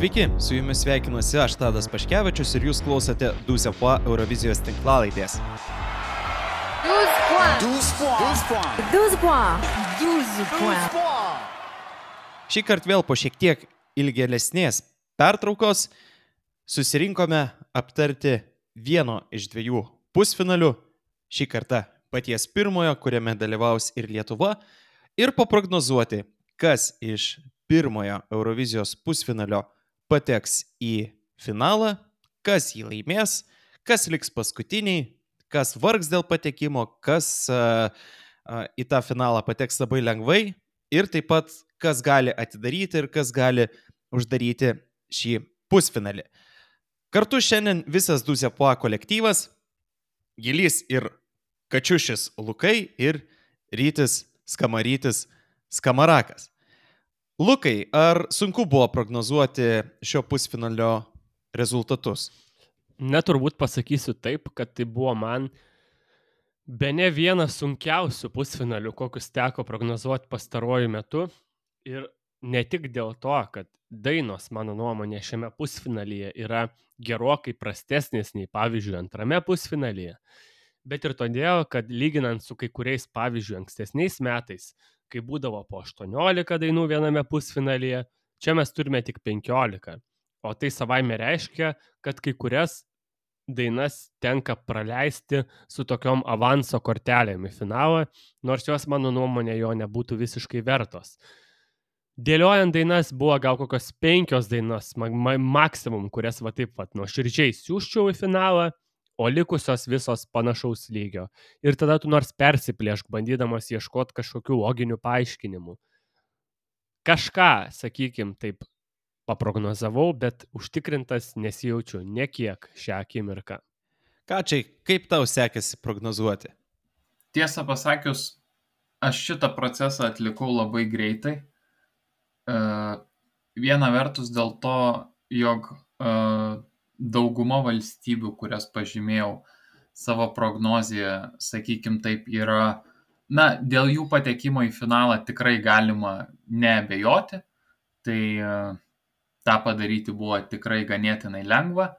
Sveiki, su jumis sveikinuosi aš Tadas Paškevičius ir jūs klausote 12 points Eurovizijos tinklalaidės. 12 points. Šį kartą vėl po šiek tiek ilgėlesnės pertraukos susirinkome aptarti vieno iš dviejų pusfinalių, šį kartą paties pirmojo, kuriame dalyvaus ir Lietuva, ir paprognozuoti, kas iš pirmojo Eurovizijos pusfinalio pateks į finalą, kas jį laimės, kas liks paskutiniai, kas vargs dėl patekimo, kas į tą finalą pateks labai lengvai ir taip pat kas gali atidaryti ir kas gali uždaryti šį pusfinalį. Kartu šiandien visas 12 points kolektyvas, Gilys ir Kačiušis Lukai ir Rytis Skamarytis Skamarakas. Lukai, ar sunku buvo prognozuoti šio pusfinalio rezultatus? Turbūt pasakysiu taip, kad tai buvo man bene vienas sunkiausių pusfinalių, kokius teko prognozuoti pastaruoju metu. Ir ne tik dėl to, kad dainos, mano nuomonė, šiame pusfinalyje yra gerokai prastesnės nei, pavyzdžiui, antrame pusfinalyje, bet ir todėl, kad lyginant su kai kuriais, pavyzdžiui, ankstesniais metais, kai būdavo po 18 dainų viename pusfinalyje, čia mes turime tik 15. O tai savaime reiškia, kad kai kurias dainas tenka praleisti su tokiom avanso kortelėm į finalą, nors jos, mano nuomonė, jo nebūtų visiškai vertos. Dėliojant dainas buvo gal kokios 5 dainos, maksimum, kurias nuoširdžiai siųsčiau į finalą, o likusios visos panašaus lygio. Ir tada tu nors persiplėšk, bandydamas ieškoti kažkokių loginių paaiškinimų. Kažką, sakykim, taip paprognozavau, bet užtikrintas nesijaučiu nekiek šią akimirką. Kačiai, kaip tau sekėsi prognozuoti? Tiesą pasakius, aš šitą procesą atlikau labai greitai. Viena vertus dėl to, jog dauguma valstybių, kurias pažymėjau savo prognoziją, sakykim taip, yra, dėl jų patekimo į finalą tikrai galima neabejoti, tai tą padaryti buvo tikrai ganėtinai lengva.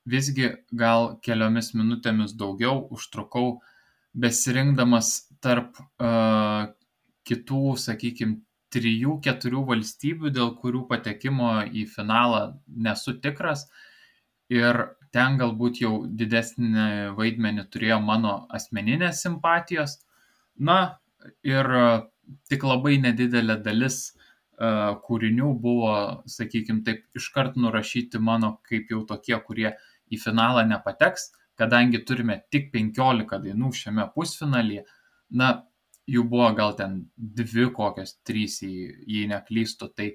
Visgi gal keliomis minutėmis daugiau užtrukau besirinkdamas tarp kitų, sakykim, 3-4 valstybių, dėl kurių patekimo į finalą nesu tikras. Ir ten galbūt jau didesnį vaidmenį turėjo mano asmeninės simpatijos. Ir tik labai nedidelė dalis kūrinių buvo, sakykim taip, iškart nurašyti mano kaip jau tokie, kurie į finalą nepateks, kadangi turime tik 15 dainų šiame pusfinalyje. Jų buvo gal ten 2 kokios 3, jei neklystu, tai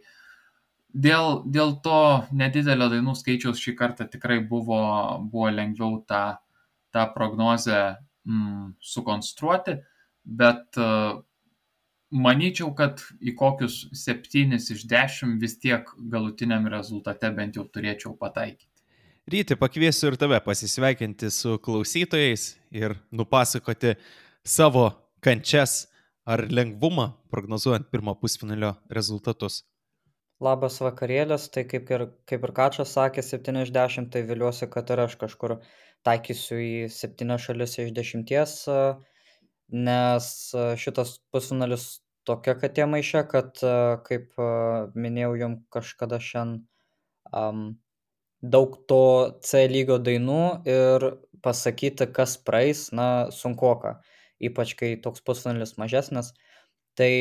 dėl to nedidelio dainų skaičiaus šį kartą tikrai buvo lengviau tą prognozę sukonstruoti, bet manyčiau, kad į kokius 7 iš 10 vis tiek galutiniam rezultate bent jau turėčiau pataikyti. Ryti, pakviesiu ir tave pasisveikinti su klausytojais ir nupasakoti savo kančias ar lengvumą prognozuojant pirmo pusfinalio rezultatus. Labas vakarėlis, tai kaip ir Kačas sakė, 7 iš 10, tai viliuosi, kad ir aš kažkur taikysiu į 7 šalis iš 10, nes šitas pusfinalis tokia katė maiše, kad, kaip minėjau jums kažkada šiandien, daug to C lygio dainų ir pasakyti, kas praeis, sunkoka, ypač kai toks pusfinalis mažesnis. Tai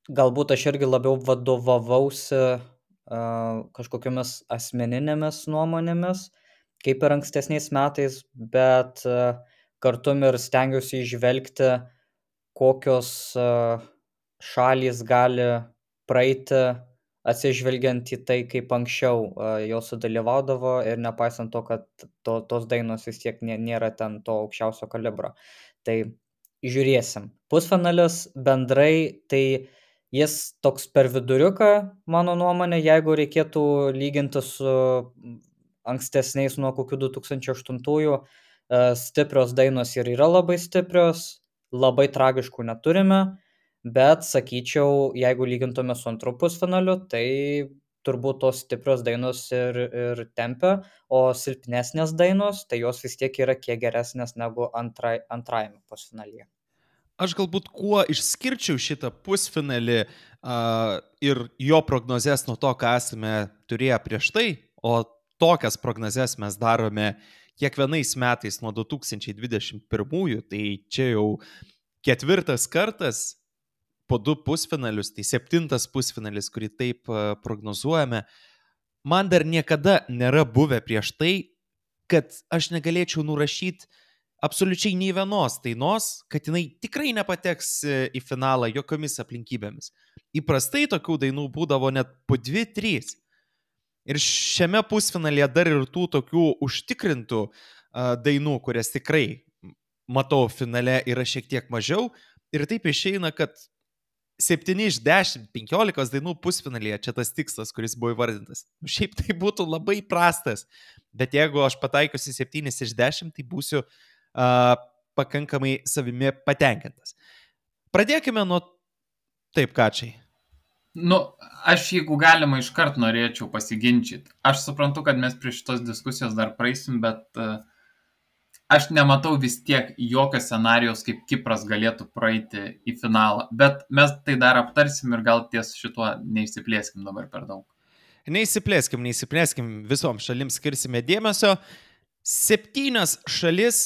galbūt aš irgi labiau vadovavausi kažkokiamis asmeninėmis nuomonėmis, kaip ir ankstesniais metais, bet kartu ir stengiausi įžvelgti, kokios šalys gali praeiti, atsižvelgiant į tai, kaip anksčiau jos sudalyvaudavo ir nepaisant to, kad tos dainos vis tiek nėra ten to aukščiausio kalibro. Tai žiūrėsim. Pusfinalis bendrai, tai jis toks per viduriuką, mano nuomonė, jeigu reikėtų lyginti su ankstesniais nuo kokių 2008-ųjų, stiprios dainos ir yra labai stiprios, labai tragiškų neturime, bet sakyčiau, jeigu lygintume su antru pusfinaliu, tai turbūt tos stiprios dainos ir tempia, o silpnesnės dainos, tai jos vis tiek yra kiek geresnės negu antrajame pusfinalyje. Aš galbūt kuo išskirčiau šitą pusfinalį ir jo prognozes nuo to, ką esame turėję prieš tai, o tokias prognozes mes darome kiekvienais metais nuo 2021, tai čia jau 4 kartas po 2 pusfinalius, tai 7 pusfinalis, kurį taip prognozuojame. Man dar niekada nėra buvę prieš tai, kad aš negalėčiau nurašyti absoliučiai nei vienos dainos, kad jinai tikrai nepateks į finalą jokiomis aplinkybėmis. Įprastai tokių dainų būdavo net po 2-3. Ir šiame pusfinalyje dar ir tų tokių užtikrintų dainų, kurias tikrai matau finale, yra šiek tiek mažiau. Ir taip išeina, kad 7 iš 10, 15 dainų pusfinalyje čia tas tikslas, kuris buvo įvardintas. Šiaip tai būtų labai prastas, bet jeigu aš pataikiusi 7 iš 10, tai būsiu pakankamai savimi patenkintas. Pradėkime nuo taip, Kačiai. Aš jeigu galima iškart norėčiau pasiginčyti. Aš suprantu, kad mes prie šitos diskusijos dar praeisim, bet aš nematau vis tiek jokio scenarijos, kaip Kipras galėtų praeiti į finalą. Bet mes tai dar aptarsim ir gal ties šituo neįsiplėskim dabar per daug. Neįsiplėskim, visom šalims skirsime dėmesio. 7 šalis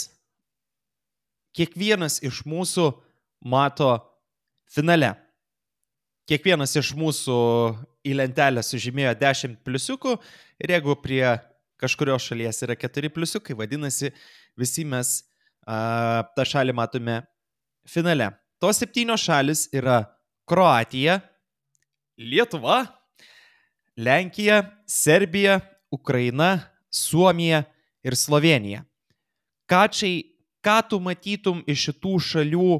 kiekvienas iš mūsų mato finale. Kiekvienas iš mūsų į lentelę sužymėjo 10 pliusiukų ir jeigu prie kažkurios šalies yra 4 pliusiukai, vadinasi, visi mes tą šalį matome finale. Tos 7 šalis yra Kroatija, Lietuva, Lenkija, Serbija, Ukraina, Suomija ir Slovėnija. Kačiai, ką tu matytum iš šitų šalių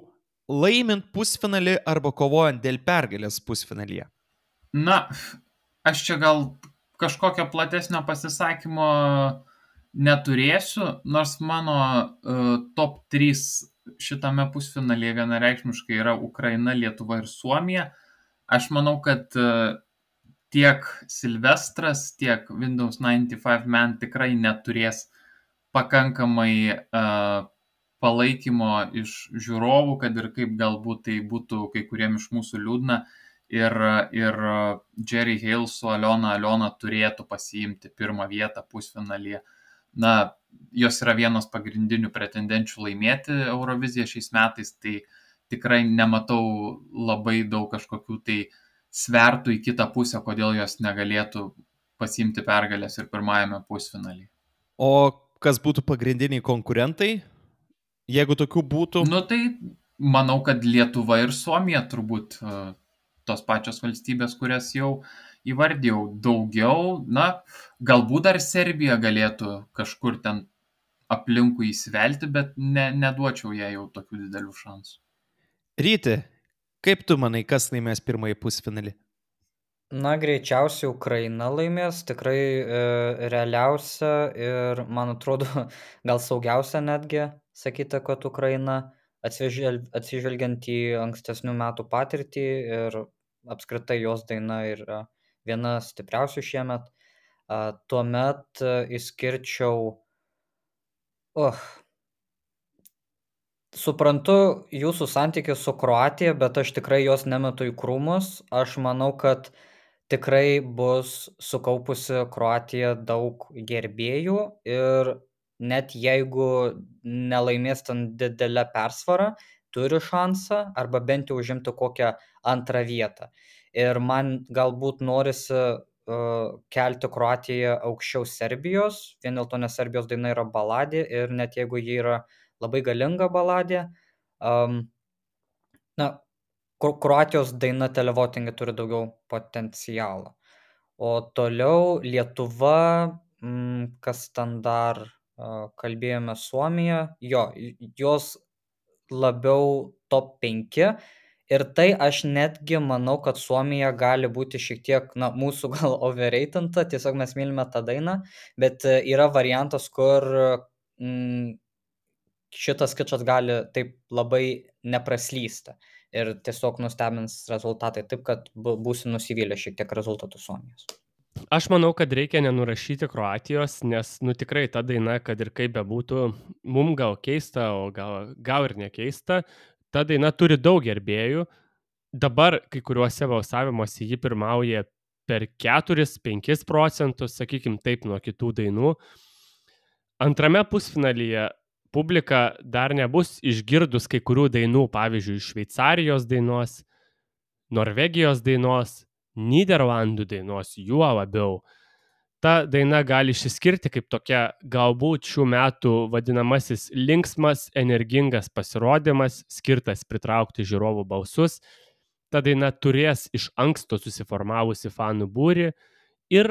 laimint pusfinalį arba kovojant dėl pergalės pusfinalyje? Aš čia gal kažkokio platesnio pasisakymo neturėsiu, nors mano top 3 šitame pusfinalyje vienareikšmiškai yra Ukraina, Lietuva ir Suomija. Aš manau, kad tiek Silvestras, tiek Windows 95 Man tikrai neturės pakankamai palaikymo iš žiūrovų, kad ir kaip galbūt tai būtų kai kuriem iš mūsų liūdna. Ir Jerry Hale su Aliona turėtų pasiimti 1 vietą pusfinalyje. Jos yra vienos pagrindinių pretendenčių laimėti Euroviziją šiais metais, tai tikrai nematau labai daug kažkokių tai svertų į kitą pusę, kodėl jos negalėtų pasiimti pergalės ir 1 pusfinalyje. O kas būtų pagrindiniai konkurentai? Jeigu tokių būtų? Tai manau, kad Lietuva ir Suomija turbūt tos pačios valstybės, kurias jau įvardėjau. Daugiau, galbūt dar Serbija galėtų kažkur ten aplinkui įsivelti, bet neduočiau jai jau tokių didelių šansų. Ryti, kaip tu manai, kas laimės 1 pusfinalį? Greičiausiai Ukraina laimės, tikrai realiausia ir, man atrodo, gal saugiausia netgi sakyti, kad Ukraina, atsižvelgiant į ankstesnių metų patirtį ir apskritai jos daina yra viena stipriausių šiemet. Tuomet išskirčiau... Suprantu jūsų santykį su Kroatija, bet aš tikrai jos nemetu į krūmus. Aš manau, kad tikrai bus sukaupusi Kroatija daug gerbėjų ir net jeigu nelaimės ten didelę persvarą, turi šansą arba bent jau užimti kokią 2 vietą. Ir man galbūt norisi kelti Kroatiją aukščiau Serbijos, vien dėl to, nes Serbijos daina yra baladė ir net jeigu ji yra labai galinga baladė, Kroatijos daina televotingai turi daugiau potencialo. O toliau Lietuva, kas ten dar kalbėjome, Suomija, jos labiau top 5. Ir tai aš netgi manau, kad Suomija gali būti šiek tiek, mūsų gal overratinta, tiesiog mes mylime tą dainą, bet yra variantas, kur šitas kičas gali taip labai nepraslysti ir tiesiog nustebins rezultatai, taip kad būsiu nusivylę šiek tiek rezultatų Suomijos. Aš manau, kad reikia nenurašyti Kroatijos, nes, tikrai ta daina, kad ir kaip bebūtų, mum gal keista, o gal ir nekeista, ta daina turi daug gerbėjų. Dabar kai kuriuose balsavimuose ji pirmauja per 4-5 procentus, sakykim taip, nuo kitų dainų. Antrame pusfinalyje publika dar nebus išgirdus kai kurių dainų, pavyzdžiui, Šveicarijos dainos, Norvegijos dainos, Nyderlandų dainos, juo labiau. Ta daina gali išsiskirti kaip tokia galbūt šių metų vadinamasis linksmas, energingas pasirodymas, skirtas pritraukti žiūrovų balsus. Ta daina turės iš anksto susiformavusi fanų būrį ir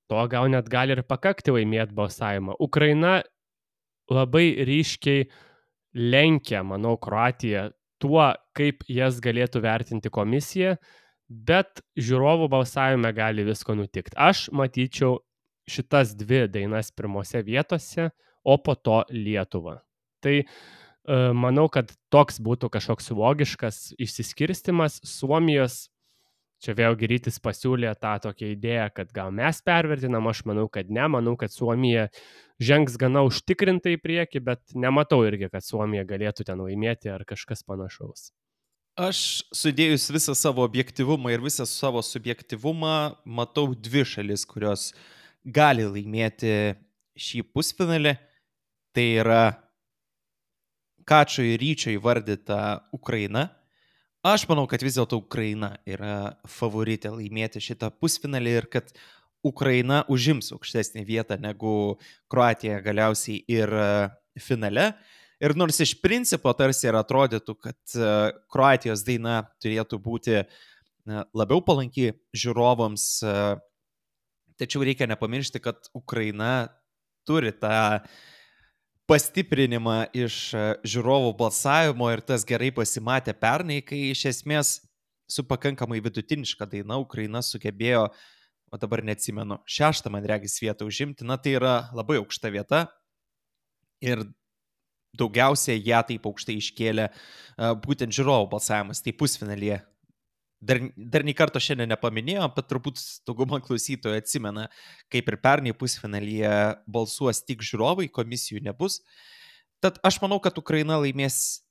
to gal net gali ir pakakti laimėti balsavimą. Ukraina labai ryškiai lenkia, manau, Kroatiją tuo, kaip jas galėtų vertinti komisija, bet žiūrovų balsavime gali visko nutikti. Aš matyčiau šitas dvi dainas pirmose vietose, o po to Lietuvą. Tai manau, kad toks būtų kažkoks logiškas išsiskirstimas. Suomijos, čia vėlgi Rytis pasiūlė tą tokią idėją, kad gal mes pervertinam, aš manau, kad ne, manau, kad Suomija žengs gana užtikrintai į priekį, bet nematau irgi, kad Suomija galėtų ten laimėti ar kažkas panašaus. Aš sudėjus visą savo objektyvumą ir visą savo subjektyvumą, matau dvi šalis, kurios gali laimėti šį pusfinalį. Tai yra Kačio ir Ryčio įvardyta Ukraina. Aš manau, kad vis dėlto Ukraina yra favoritė laimėti šitą pusfinalį ir kad Ukraina užims aukštesnį vietą negu Kroatija galiausiai ir finale. Ir nors iš principo tarsi ir atrodytų, kad Kroatijos daina turėtų būti labiau palanki žiūrovams, tačiau reikia nepamiršti, kad Ukraina turi tą pastiprinimą iš žiūrovų balsavimo ir tas gerai pasimatė pernai, kai iš esmės su pakankamai vidutiniška daina Ukraina sugebėjo, o dabar neatsimenu, 6, man regis, vietą užimti. Na, tai yra labai aukšta vieta ir daugiausiai ją taip aukštai iškėlė būtent žiūrovų balsavimas, tai pusfinalyje. Dar nei karto šiandien nepaminėjom, bet turbūt dauguma klausytojų atsimena, kaip ir pernai pusfinalyje balsuos tik žiūrovai, komisijų nebus. Tad aš manau, kad Ukraina laimės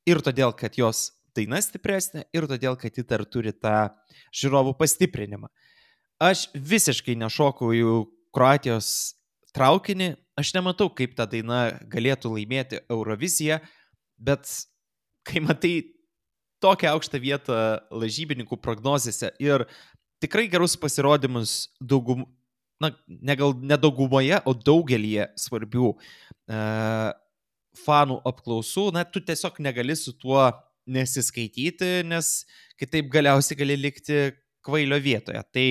ir todėl, kad jos daina stipresnė, ir todėl, kad ji dar turi tą žiūrovų pastiprinimą. Aš visiškai nešokau į Kroatijos traukinį, aš nematau, kaip ta daina galėtų laimėti Euroviziją, bet kai matai tokią aukštą vietą lažybininkų prognozėse ir tikrai gerus pasirodymus ne daugumoje, o daugelyje svarbių fanų apklausų, tu tiesiog negali su tuo nesiskaityti, nes kitaip galiausiai gali likti kvailio vietoje. Tai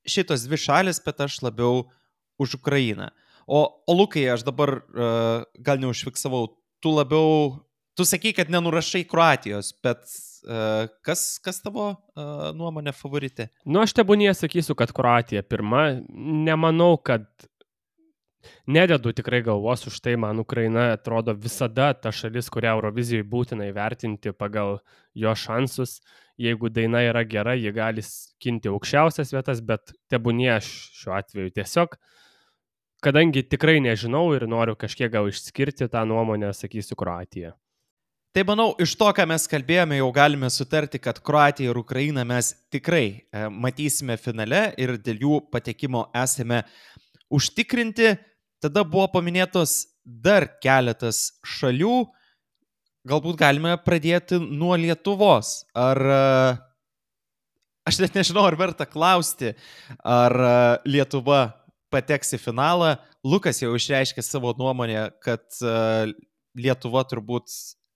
šitos dvi šalis, bet aš labiau už Ukrainą. O Lukai, aš dabar gal neužfiksavau, tu sakai, kad nenurašai Kroatijos, bet kas tavo nuomonė favoritė? Aš tebūnie sakysiu, kad Kroatija pirma. Nemanau, kad nededu tikrai galvos už tai, man Ukraina atrodo visada ta šalis, kurią Eurovizijoje būtina įvertinti pagal jo šansus. Jeigu daina yra gera, ji gali skinti aukščiausias vietas, bet tebūnie aš šiuo atveju tiesiog, kadangi tikrai nežinau ir noriu kažkiek gal išskirti tą nuomonę, sakysiu Kroatiją. Tai manau, iš to, ką mes kalbėjome, jau galime sutarti, kad Kroatiją ir Ukrainą mes tikrai matysime finale ir dėl jų patekimo esame užtikrinti. Tada buvo paminėtos dar keletas šalių. Galbūt galime pradėti nuo Lietuvos. Aš net nežinau, ar verta klausti, ar Lietuva pateks į finalą. Lukas jau išreiškė savo nuomonę, kad Lietuva turbūt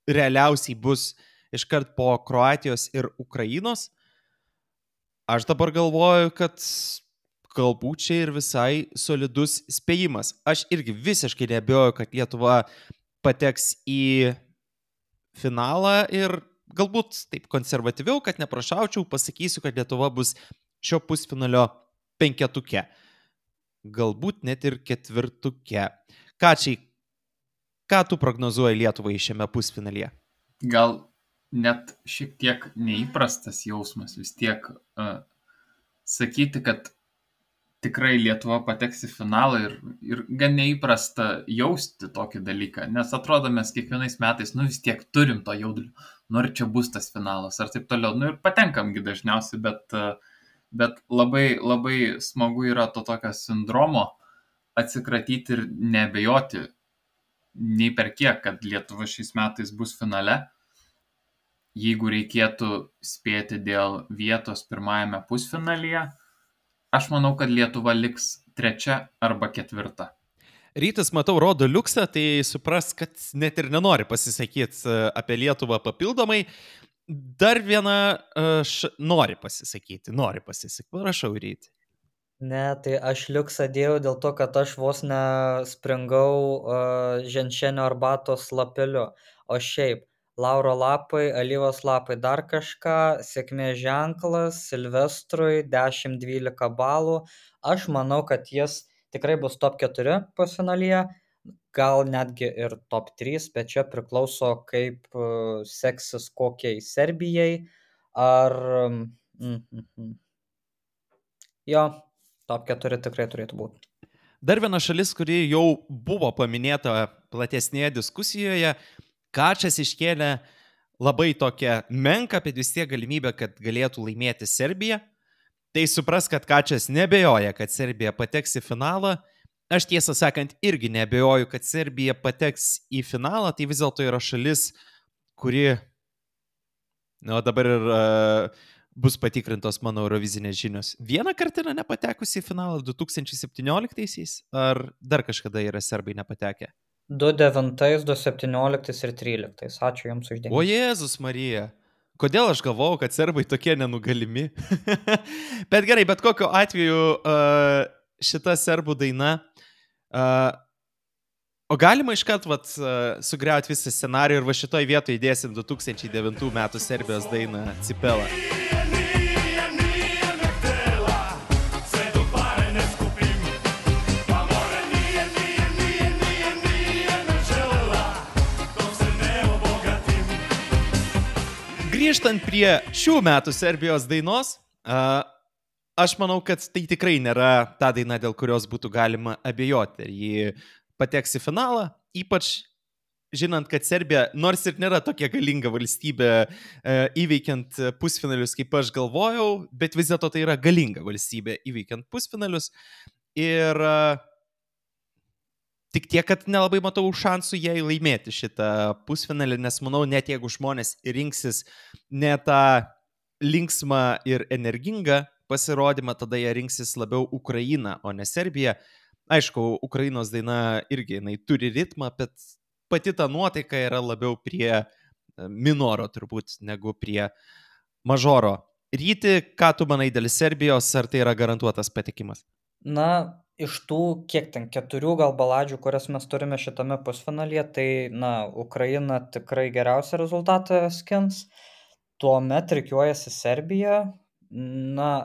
realiausiai bus iškart po Kroatijos ir Ukrainos. Aš dabar galvoju, kad galbūt čia ir visai solidus spėjimas. Aš irgi visiškai neabejoju, kad Lietuva pateks į finalą ir galbūt taip konservatyviau, kad neprašaučiau, pasakysiu, kad Lietuva bus šio pusfinalio 5-tuke. Galbūt net ir 4-tuke. Kačiai, ką tu prognozuoji Lietuvai šiame pusfinalyje? Gal net šiek tiek neįprastas jausmas vis tiek sakyti, kad tikrai Lietuva pateks į finalą ir gan neįprasta jausti tokį dalyką, nes atrodo mes kiekvienais metais, vis tiek turim to jaudulio, ar čia bus tas finalas, ar taip toliau, ir patenkamgi dažniausiai, bet labai, labai smagu yra to tokio sindromo atsikratyti ir nebejoti nei per kiek, kad Lietuva šiais metais bus finale. Jeigu reikėtų spėti dėl vietos pirmajame pusfinalyje, aš manau, kad Lietuva liks 3 arba 4. Rytis, matau, rodo liuksą, tai supras, kad net ir nenori pasisakyti apie Lietuvą papildomai. Dar viena nori pasisakyti. Prašau, Ryti. Ne, tai aš liuksą dėjau dėl to, kad aš vos nespringau ženšenio arbatos lapeliu. O šiaip, lauro lapai, alyvos lapai, dar kažką, sėkmės ženklas, Silvestrui 10-12 balų. Aš manau, kad jis tikrai bus top 4 pusfinalyje, gal netgi ir top 3, bet čia priklauso, kaip seksis kokiai Serbijai. Ar... Jo, top 4 tikrai turėtų būti. Dar viena šalis, kuri jau buvo paminėta platesnėje diskusijoje, Kačas iškėlė labai tokią menką, bet vis tiek galimybę, kad galėtų laimėti Serbiją. Tai supras, kad Kačas nebejoja, kad Serbija pateks į finalą. Aš tiesą sakant irgi nebejoju, kad Serbija pateks į finalą. Tai vis dėlto yra šalis, kuri, dabar ir bus patikrintos mano eurovizinės žinios. Vieną kartą yra nepatekusi į finalą 2017-aisiais, ar dar kažkada yra serbai nepatekę? 2009, 2017 ir 2013. Ačiū Jums uždėmesį. O Jėzus Marija, kodėl aš galvojau, kad serbai tokie nenugalimi? Bet gerai, bet kokiu atveju šita serbų daina, o galima iškart sugriauti visą scenarijų ir šitoj vietoje įdėsim 2009 metų Serbijos dainą Cipela. Grįžtant prie šių metų Serbijos dainos, aš manau, kad tai tikrai nėra ta daina, dėl kurios būtų galima abejoti. Ji pateks į finalą, ypač žinant, kad Serbija, nors ir nėra tokia galinga valstybė įveikiant pusfinalius, kaip aš galvojau, bet vis dėlto tai yra galinga valstybė įveikiant pusfinalius. Ir tik tiek, kad nelabai matau šansų jai laimėti šitą pusfinalį, nes manau, net jeigu žmonės rinksis ne tą linksmą ir energingą pasirodymą, tada jie rinksis labiau Ukrainą, o ne Serbiją. Aišku, Ukrainos daina irgi, jinai turi ritmą, bet pati ta nuotaika yra labiau prie minoro turbūt, negu prie mažoro. Ryti, ką tu manai dėl Serbijos, ar tai yra garantuotas patekimas? Iš tų, kiek ten, 4 gal baladžių, kurias mes turime šitame pusfinalyje, tai, Ukraina tikrai geriausią rezultatą skins. Tuomet rikiuojasi Serbija,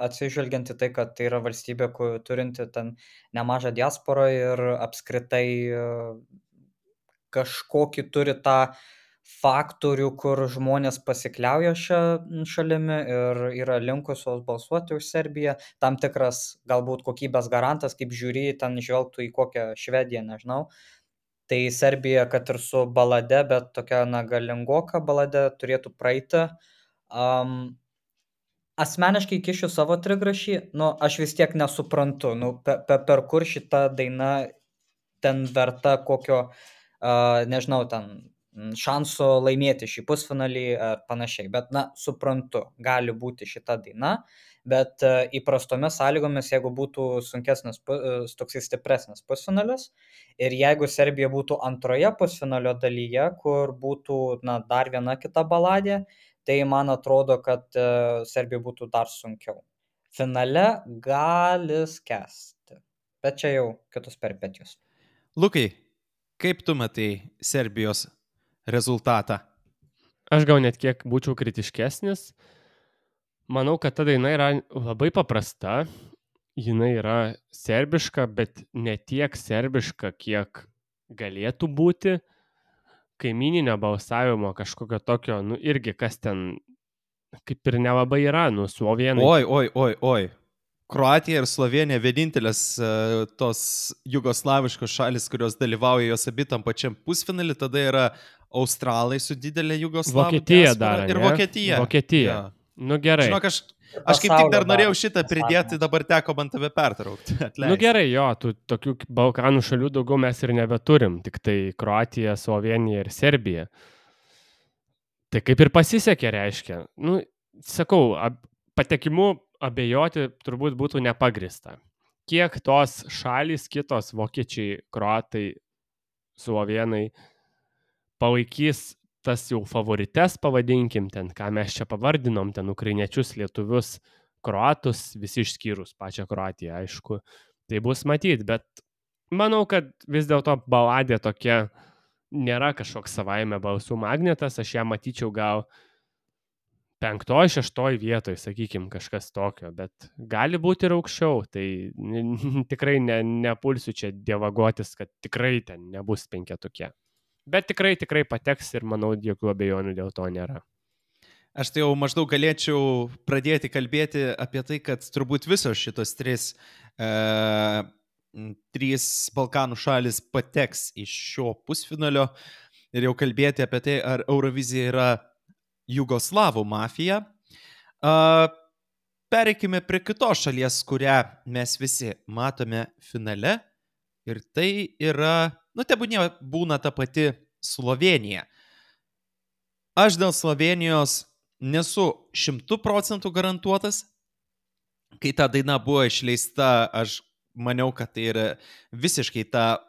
atsižvelgiant į tai, kad tai yra valstybė, turinti ten nemažą diasporą ir apskritai kažkokį turi tą faktorių, kur žmonės pasikliauja šią šalimi ir yra linkusios balsuoti už Serbiją. Tam tikras galbūt kokybės garantas, kaip žiūri, ten žvelgtų į kokią Švediją, nežinau. Tai Serbija, kad ir su balade, bet tokia galingoka balade turėtų praeiti. Asmeniškai kišiu savo trigrašį, aš vis tiek nesuprantu, per kur šita daina ten verta kokio, nežinau, ten šansų laimėti šį pusfinalį ar panašiai, bet suprantu, gali būti šita daina, bet įprastomis sąlygomis, jeigu būtų sunkesnis, toksai stipresnis pusfinalis ir jeigu Serbija būtų antroje pusfinalio dalyje, kur būtų dar viena kita baladė, tai man atrodo, kad Serbija būtų dar sunkiau. Finale gali skęsti, bet čia jau kitus peripetijos. Lukai, kaip tu matai Serbijos rezultatą? Aš gal net kiek būčiau kritiškesnis. Manau, kad ta daina yra labai paprasta. Jinai yra serbiška, bet ne tiek serbiška, kiek galėtų būti. Kaimyninio balsavimo kažkokio tokio, irgi kas ten kaip ir nelabai yra, slovenai. Oi. Kroatija ir Slovenija vienintelės tos jugoslaviškos šalis, kurios dalyvauja jos abi tam pačiam pusfinalį, tada yra Australai su didelė Jugoslavų Vokietija diaspora dar, ir ne? Vokietija. Vokietija. Jo. Nu gerai. Žinok, aš kaip tik dar norėjau šitą pridėti, dabar teko man tave pertraukti. Nu gerai, jo, tokių Balkanų šalių daugiau mes ir nebeturim, tik tai Kroatija, Slovenija ir Serbija. Tai kaip ir pasisekė, reiškia. Nu, sakau, patekimu abejoti turbūt būtų nepagrista. Kiek tos šalys, kitos vokiečiai, kroatai, slovenai palaikys tas jau favorites, pavadinkim ten, ką mes čia pavardinom, ten ukrainiečius, lietuvius, kroatus, visi išskyrus pačią Kroatiją, aišku. Tai bus matyt, bet manau, kad vis dėlto baladė tokia nėra kažkoks savaime balsų magnetas, aš ją matyčiau gal 5-6 vietoj, sakykim, kažkas tokio, bet gali būti ir aukščiau, tai tikrai nepulsiu čia dievagotis, kad tikrai ten nebus 5. Bet tikrai pateks ir manau, jokių abejonių dėl to nėra. Aš tai jau maždaug galėčiau pradėti kalbėti apie tai, kad turbūt visos šitos trys Balkanų šalis pateks iš šio pusfinalio ir jau kalbėti apie tai, ar Eurovizija yra Jugoslavų mafija. Pereikime prie kitos šalies, kurią mes visi matome finale, ir tai yra, tebūnie būna ta pati Slovenija. Aš dėl Slovenijos nesu 100% garantuotas. Kai ta daina buvo išleista, aš maniau, kad tai yra visiškai ta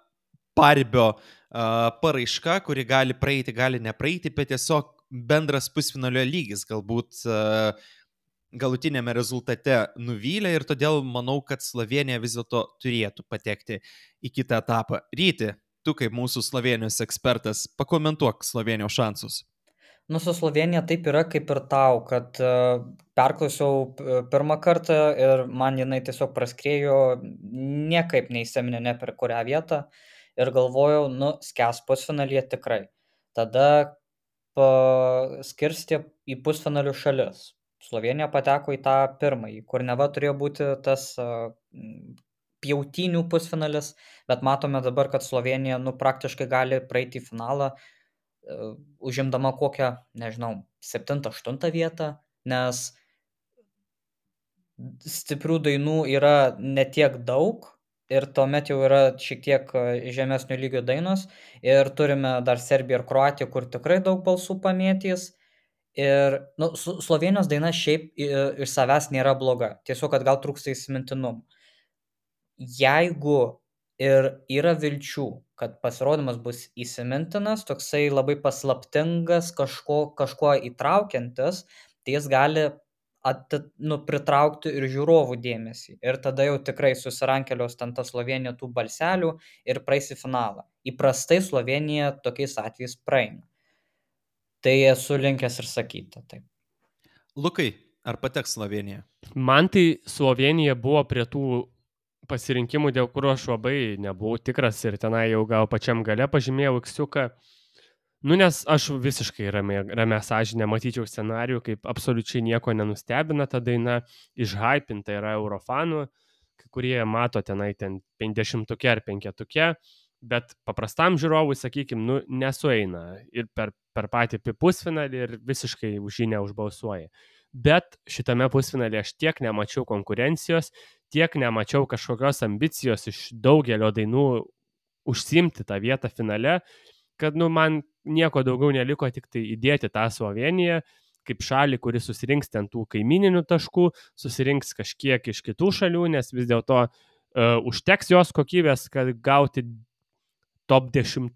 paribio paraiška, kuri gali praeiti, gali nepraeiti, bet tiesiog bendras pusfinalio lygis galbūt galutinėme rezultate nuvylė ir todėl manau, kad Slovenija vis dėlto turėtų patekti į kitą etapą. Ryti, tu kaip mūsų Slovenijos ekspertas, pakomentuok Slovenijos šansus. Su Slovenija taip yra kaip ir tau, kad perklausiau pirmą kartą ir man jinai tiesiog praskrėjo, niekaip neįsiminė per kurią vietą ir galvojau, skęs pusfinalyje tikrai. Tada paskirstė į pusfinalių šalis. Slovenija pateko į tą pirmąjį, kur neva turėjo būti tas pjautinių pusfinalis, bet matome dabar, kad Slovenija praktiškai gali praeiti į finalą, užimdama kokią, 7-8 vietą, nes stiprių dainų yra ne tiek daug ir tuomet jau yra šiek tiek žemesnio lygio dainos ir turime dar Serbiją ir Kroatiją, kur tikrai daug balsų pamėtys ir Slovenijos daina šiaip iš savęs nėra bloga, tiesiog, kad gal trūksta įsimintinumų. Jeigu ir yra vilčių, kad pasirodymas bus įsimintinas, toksai labai paslaptingas, kažkuo įtraukiantis, tai jis gali pritraukti ir žiūrovų dėmesį. Ir tada jau tikrai susirankelios ten ta Slovenija tų balselių ir praeis į finalą. Įprastai Slovenija tokiais atvejais praeina. Tai esu linkęs ir sakyti. Taip. Lukai, ar pateks Slovenija? Man tai Slovenija buvo prie tų pasirinkimų, dėl kurio aš labai nebuvau tikras ir tenai jau gal pačiam gale pažymėjau X-iuką. Nes aš visiškai ramia sąžinė matyčiau scenarijų, kaip absoliučiai nieko nenustebina ta daina, išhypinta yra Eurofanų, kai kurie mato tenai 50 ar 5, bet paprastam žiūrovui, sakykim, nesueina ir per patį pusfinalį ir visiškai už jį neužbalsuoja. Bet šitame pusfinalį aš tiek nemačiau konkurencijos, tiek nemačiau kažkokios ambicijos iš daugelio dainų užsiimti tą vietą finale, kad man nieko daugiau neliko, tik tai įdėti tą Sloveniją kaip šalį, kuris susirinks ten tų kaimininių taškų, susirinks kažkiek iš kitų šalių, nes vis dėlto užteks jos kokybės, kad gauti top 10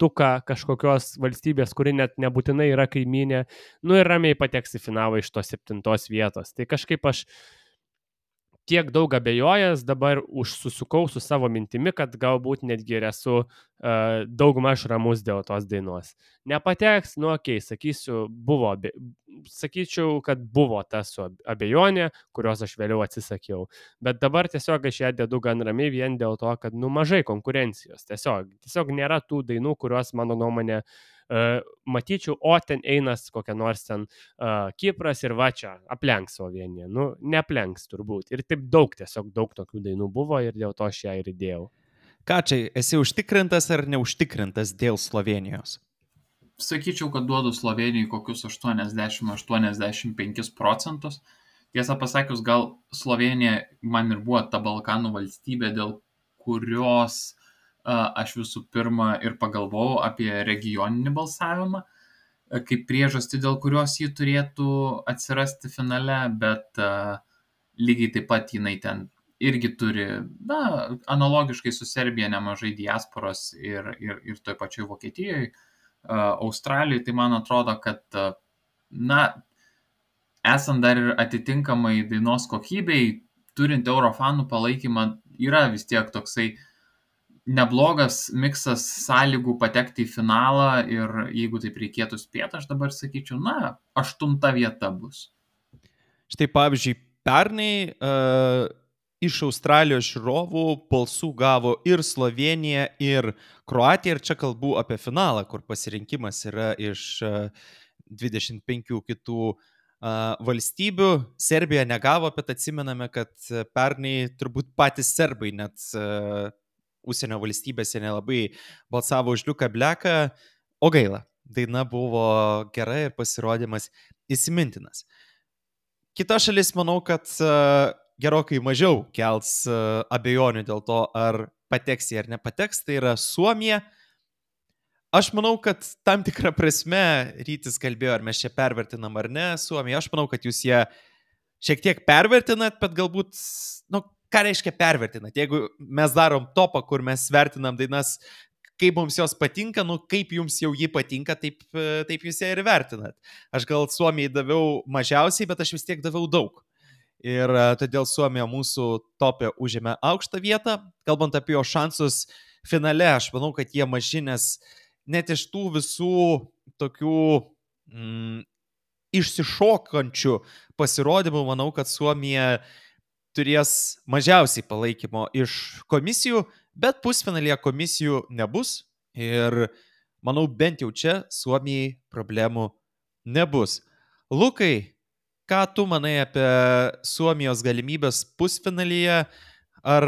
kažkokios valstybės, kuri net nebūtinai yra kaiminė, ir ramiai pateks į finalą iš tos 7 vietos. Tai kažkaip aš tiek daug abejojęs, dabar susukau su savo mintimi, kad galbūt netgi ir esu daugmaž ramus dėl tos dainos. Nepateks, sakyčiau, kad buvo ta abejonė, kurios aš vėliau atsisakiau. Bet dabar tiesiog aš ją dedu gan ramiai vien dėl to, kad mažai konkurencijos. Tiesiog nėra tų dainų, kurios, mano nuomonė, Matyčiau, o ten einas kokia nors ten Kipras ir va čia aplenks Sloveniją. Nu, neaplenks turbūt. Ir taip tiesiog daug tokių dainų buvo ir dėl to aš ją ir įdėjau. Ką čia, esi užtikrintas ar neužtikrintas dėl Slovenijos? Sakyčiau, kad duodu Slovenijai kokius 80-85%. Tiesą pasakius, gal Slovenija man ir buvo ta Balkanų valstybė, dėl kurios aš visų pirma ir pagalvojau apie regioninį balsavimą, kaip priežastį, dėl kurios jį turėtų atsirasti finale, bet lygiai taip pat jinai ten irgi turi, analogiškai su Serbija nemažai diasporos ir toj pačioj Vokietijoje, Australijoje, tai man atrodo, kad, esant dar ir atitinkamai dainos kokybei, turint Eurofanų palaikymą, yra vis tiek toksai neblogas miksas sąlygų patekti į finalą ir jeigu taip reikėtų spėti, aš dabar sakyčiau, 8 vieta bus. Štai pavyzdžiui, pernai iš Australijos žiūrovų balsų gavo ir Slovenija, ir Kroatija, ir čia kalbu apie finalą, kur pasirinkimas yra iš 25 kitų valstybių. Serbija negavo, bet atsimename, kad pernai turbūt patys serbai net užsienio valstybėse nelabai balsavo už Liuką Bleką, o gaila, daina buvo gera ir pasirodymas įsimintinas. Kita šalis, manau, kad gerokai mažiau kels abejonių dėl to, ar pateks jie ar nepateks, tai yra Suomija. Aš manau, kad tam tikrą prasme Rytis kalbėjo, ar mes čia pervertinam ar ne Suomiją. Aš manau, kad jūs ją šiek tiek pervertinat, bet galbūt, ką reiškia pervertinat? Jeigu mes darom topą, kur mes vertinam dainas, kaip mums jos patinka, kaip jums jau jį patinka, taip jūs ją ir vertinat. Aš gal Suomijai daviau mažiausiai, bet aš vis tiek daviau daug. Ir todėl Suomija mūsų topė užėmė aukštą vietą. Kalbant apie jo šansus finale, aš manau, kad jie maži, nes net iš tų visų tokių išsišokančių pasirodymų, manau, kad Suomija turės mažiausiai palaikymo iš komisijų, bet pusfinalyje komisijų nebus ir manau, bent jau čia Suomijai problemų nebus. Lukai, ką tu manai apie Suomijos galimybės pusfinalyje? Ar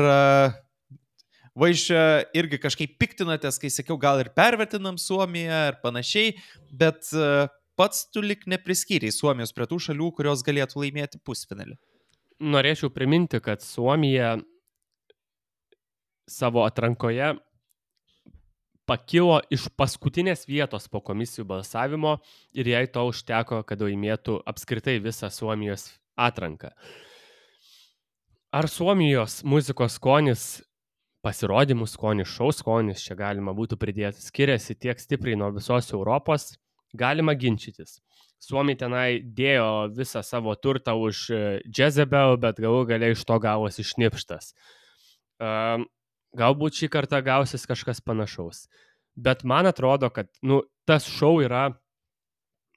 Vaišė irgi kažkaip piktinatės, kai sakiau, gal ir pervertinam Suomiją ir panašiai, bet pats tu lik nepriskyriai Suomijos prie tų šalių, kurios galėtų laimėti pusfinalį? Norėčiau priminti, kad Suomija savo atrankoje pakilo iš paskutinės vietos po komisijų balsavimo ir jai to užteko, kad laimėtų apskritai visą Suomijos atranką. Ar Suomijos muzikos skonis, pasirodymų skonis, šou skonis, čia galima būtų pridėti, skiriasi tiek stipriai nuo visos Europos, galima ginčytis. Suomiai tenai dėjo visą savo turtą už Jezebel, bet galų gale iš to gavosi šnipštas. Galbūt šį kartą gausis kažkas panašaus. Bet man atrodo, kad tas šou yra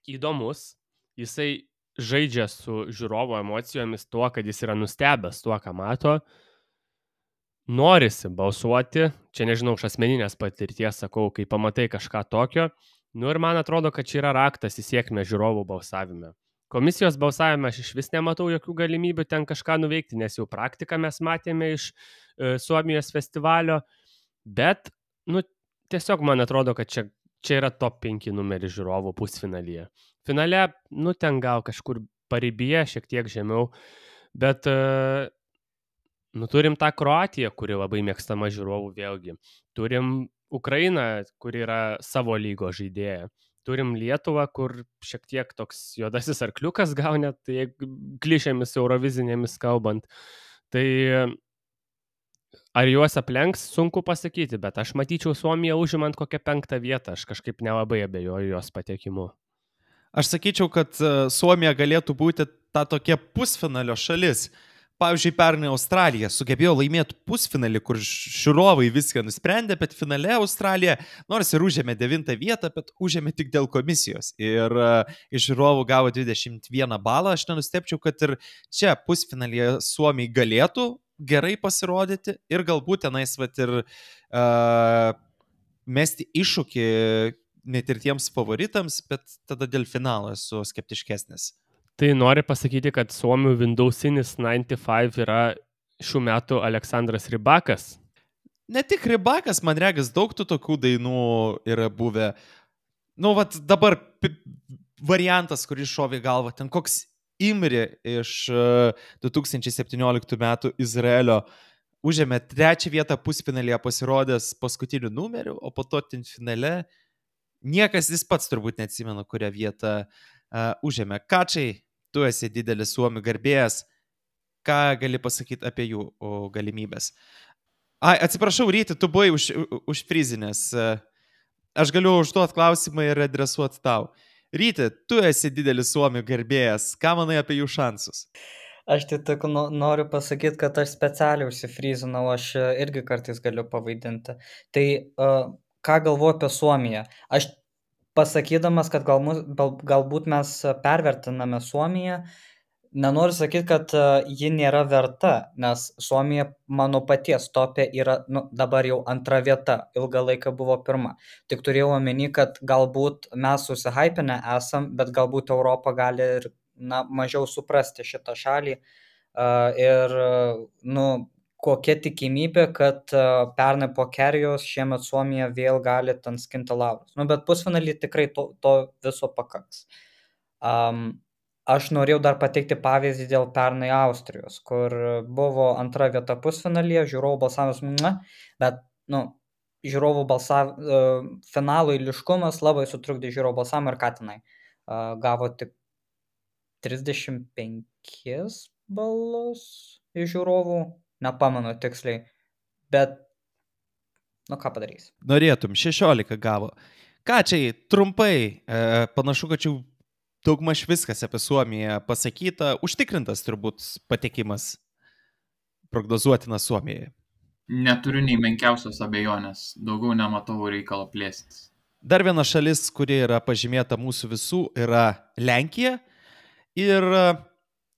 įdomus, jisai žaidžia su žiūrovo emocijomis tuo, kad jis yra nustebęs tuo, ką mato. Norisi balsuoti, čia nežinau, iš asmeninės patirties sakau, kai pamatai kažką tokio, ir man atrodo, kad čia yra raktas į sėkmę žiūrovų balsavime. Komisijos balsavime aš iš vis nematau jokių galimybių ten kažką nuveikti, nes jau praktiką mes matėme iš Suomijos festivalio, bet tiesiog man atrodo, kad čia yra top 5 numeris žiūrovų pusfinalyje. Finale, ten gal kažkur paribyje, šiek tiek žemiau, bet turim tą Kroatiją, kuri labai mėgstama žiūrovų vėlgi. Turim Ukrainą, kuri yra savo lygo žaidėja. Turim Lietuvą, kur šiek tiek toks juodasis arkliukas gal net, klišėmis eurovizinėmis kalbant. Tai ar juos aplenks, sunku pasakyti, bet aš matyčiau Suomiją užimant kokią 5 vietą. Aš kažkaip nelabai abejoju jos patekimu. Aš sakyčiau, kad Suomija galėtų būti ta tokia pusfinalio šalis. Pavyzdžiui, pernai Australija sugebėjo laimėti pusfinalį, kur žiūrovai viską nusprendė, bet finale Australija, nors ir užėmė 9 vietą, bet užėmė tik dėl komisijos. Ir iš žiūrovų gavo 21 balą. Aš nenustepčiau, kad ir čia pusfinalyje Suomiai galėtų gerai pasirodyti ir galbūt tenais ir mesti iššūkį net ir tiems favoritams, bet tada dėl finalo esu skeptiškesnis. Tai nori pasakyti, kad suomių Windowsinis 95 yra šių metų Aleksandras Rybakas? Ne tik Rybakas, man regis, daug tų tokių dainų yra buvę. Nu, vat dabar variantas, kuris šovė galvą, ten koks Imri iš 2017 metų Izraelio užėmė 3 vietą pusfinalyje pasirodęs paskutiniu numeriu, o po to ten finale niekas jis pats turbūt neatsimena, kurią vietą užėmė. Kačiai, tu esi didelis suomių garbėjas, ką gali pasakyti apie jų galimybės? Atsiprašau, Ryti, tu buvai užfrizinęs. Aš galiu užduoti klausimą ir adresuoti tau. Ryti, tu esi didelis suomių garbėjas. Ką manai apie jų šansus? Aš tik noriu pasakyti, kad aš specialiai užsifrizinau, aš irgi kartais galiu pavaidinti. Tai ką galvoju apie Suomiją? Aš pasakydamas, kad galbūt mes pervertiname Suomiją, nenoriu sakyti, kad ji nėra verta, nes Suomija mano paties topė yra dabar jau 2 vieta, ilgą laiką buvo 1. Tik turėjau omeny, kad galbūt mes susihypinę esam, bet galbūt Europa gali ir mažiau suprasti šitą šalį ir kokia tikimybė, kad pernai po Kerijos šiemet Suomija vėl gali ten skinti laurus. Bet pusfinalį tikrai to viso pakaks. Aš norėjau dar pateikti pavyzdį dėl pernai Austrijos, kur buvo 2 vieta pusfinalyje, žiūrovų balsavimas, bet žiūrovų finalo eiliškumas labai sutrukdė žiūrovų balsavimą ir Katinai gavo tik 35 balus iš žiūrovų, nepamenu tiksliai, bet ką padarys. Norėtum, 16 gavo. Kačiai, trumpai, panašu, kad jau daugmaž viskas apie Suomiją pasakyta, užtikrintas turbūt patekimas prognozuotinas Suomijai. Neturiu nei menkiausios abejonės, daugiau nematau reikalo plėstis. Dar viena šalis, kuri yra pažymėta mūsų visų, yra Lenkija. Ir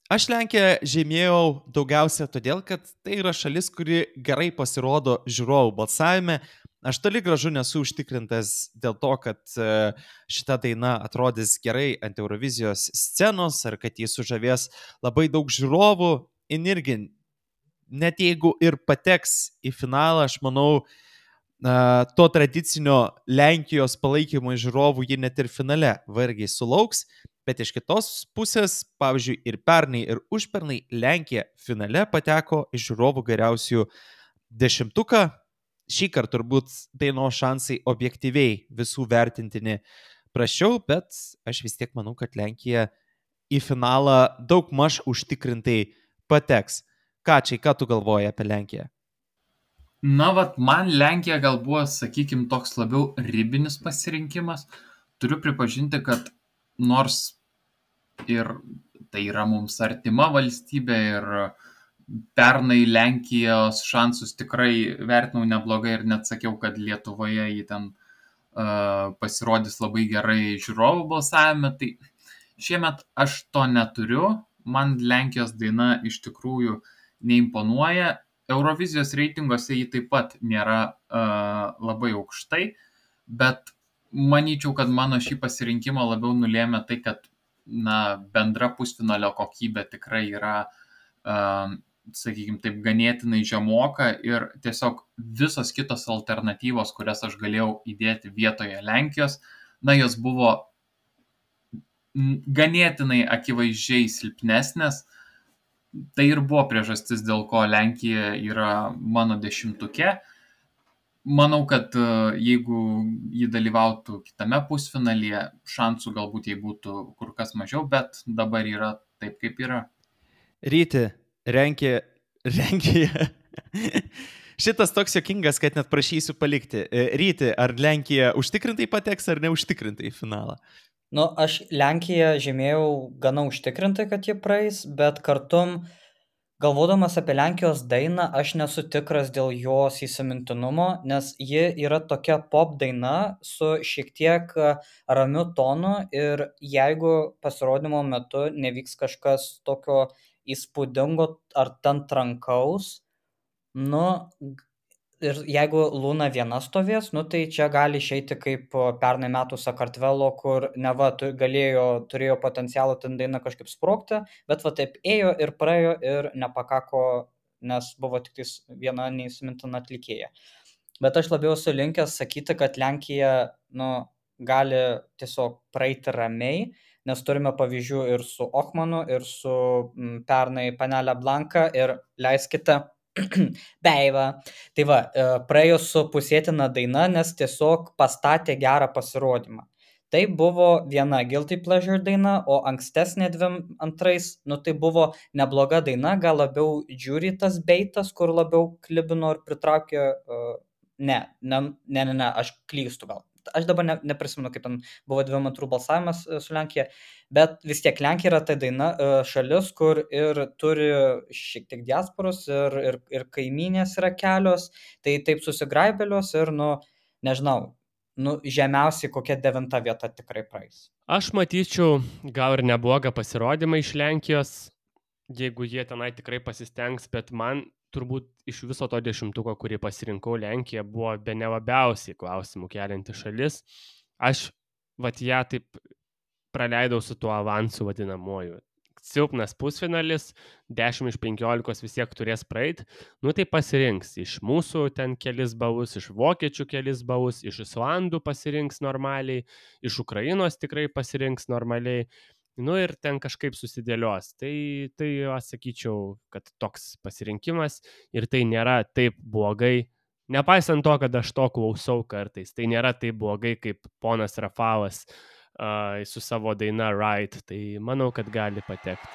aš Lenkiją žymėjau daugiausia todėl, kad tai yra šalis, kuri gerai pasirodo žiūrovų balsavime. Aš toli gražu nesu užtikrintas dėl to, kad šita daina atrodys gerai ant Eurovizijos scenos ar kad jis sužavės labai daug žiūrovų. Irgi, net jeigu ir pateks į finalą, aš manau, to tradicinio Lenkijos palaikymo žiūrovų ji net ir finale vargiai sulauks. Bet iš kitos pusės, pavyzdžiui, ir pernai, ir užpernai Lenkija finale pateko iš žiūrovų geriausių 10. Šį kartą turbūt dainos šansai objektyviai visų vertintini prašiau, bet aš vis tiek manau, kad Lenkija į finalą daug maž užtikrintai pateks. Kačiai, ką tu galvoji apie Lenkiją? Man Lenkija gal buvo, sakykim, toks labiau ribinis pasirinkimas. Turiu pripažinti, kad nors ir tai yra mums artima valstybė ir pernai Lenkijos šansus tikrai vertinau neblogai ir net sakiau, kad Lietuvoje jį ten pasirodys labai gerai žiūrovų balsavime, tai šiemet aš to neturiu, man Lenkijos daina iš tikrųjų neimponuoja, Eurovizijos reitinguose jį taip pat nėra labai aukštai, bet manyčiau, kad mano šį pasirinkimą labiau nulėmė tai, kad bendra pusfinalio kokybė tikrai yra, sakykime taip, ganėtinai žemoka ir tiesiog visos kitos alternatyvos, kurias aš galėjau įdėti vietoje Lenkijos, jos buvo ganėtinai akivaizdžiai silpnesnės. Tai ir buvo priežastis, dėl ko Lenkija yra mano 10-uke. Manau, kad jeigu jį dalyvautų kitame pusfinalyje, šansų galbūt jai būtų kur kas mažiau, bet dabar yra taip, kaip yra. Ryti, Lenkija. Šitas toks juokingas, kad net prašysiu palikti. Ryti, ar Lenkija užtikrintai pateks ar neužtikrintai į finalą? Aš Lenkiją žymėjau gana užtikrintai, kad jie praeis, bet kartu galvodamas apie Lenkijos dainą, aš nesu tikras dėl jos įsimintinumo, nes ji yra tokia pop daina su šiek tiek ramiu tonu ir jeigu pasirodymo metu nevyks kažkas tokio įspūdingo ar ten trankaus, ir jeigu Luna viena stovės, nu tai čia gali išeiti kaip pernai metų Sakartvelo, kur neva turėjo potencialą ten daina kažkaip sprogti, bet va taip ėjo ir praėjo ir nepakako, nes buvo tik viena neįsimintina atlikėja. Bet aš labiau esu linkęs sakyti, kad Lenkija gali tiesiog praeiti ramiai, nes turime pavyzdžių ir su Ochmanu, ir su pernai Panelė Blanka, ir leiskite Beiva. Tai va, praėjo su pusėtina daina, nes tiesiog pastatė gerą pasirodymą. Tai buvo viena Guilty Pleasure daina, o ankstesnė antrais, tai buvo nebloga daina, gal labiau žiūri tas beitas, kur labiau klibino ir pritraukė. Ne, aš klystu gal. Aš dabar neprisimenu, kaip ten buvo 2 turų balsavimas su Lenkija, bet vis tiek Lenkija yra ta daina šalis, kur ir turi šiek tiek diasporos ir kaimynės yra kelios, tai taip susigraibelios ir, nežinau, žemiausiai kokia 9 vieta tikrai praeis. Aš matyčiau gal ir neblogą pasirodymą iš Lenkijos, jeigu jie tenai tikrai pasistengs, bet man turbūt iš viso to 10, kurį pasirinkau, Lenkija buvo bene labiausiai klausimų kelianti šalis. Aš ją taip praleidau su tuo avansu vadinamuoju. Silpnas pusfinalis, 10 iš 15 vis tiek turės praeiti, tai pasirinks iš mūsų ten kelis balus, iš vokiečių kelis balus, iš Islandų pasirinks normaliai, iš Ukrainos tikrai pasirinks normaliai. Ir ten kažkaip susidėlios. Tai aš sakyčiau, kad toks pasirinkimas ir tai nėra taip blogai. Nepaisant to, kad aš to klausau kartais, tai nėra taip blogai, kaip ponas Rafalas su savo daina Right. Tai manau, kad gali patekti.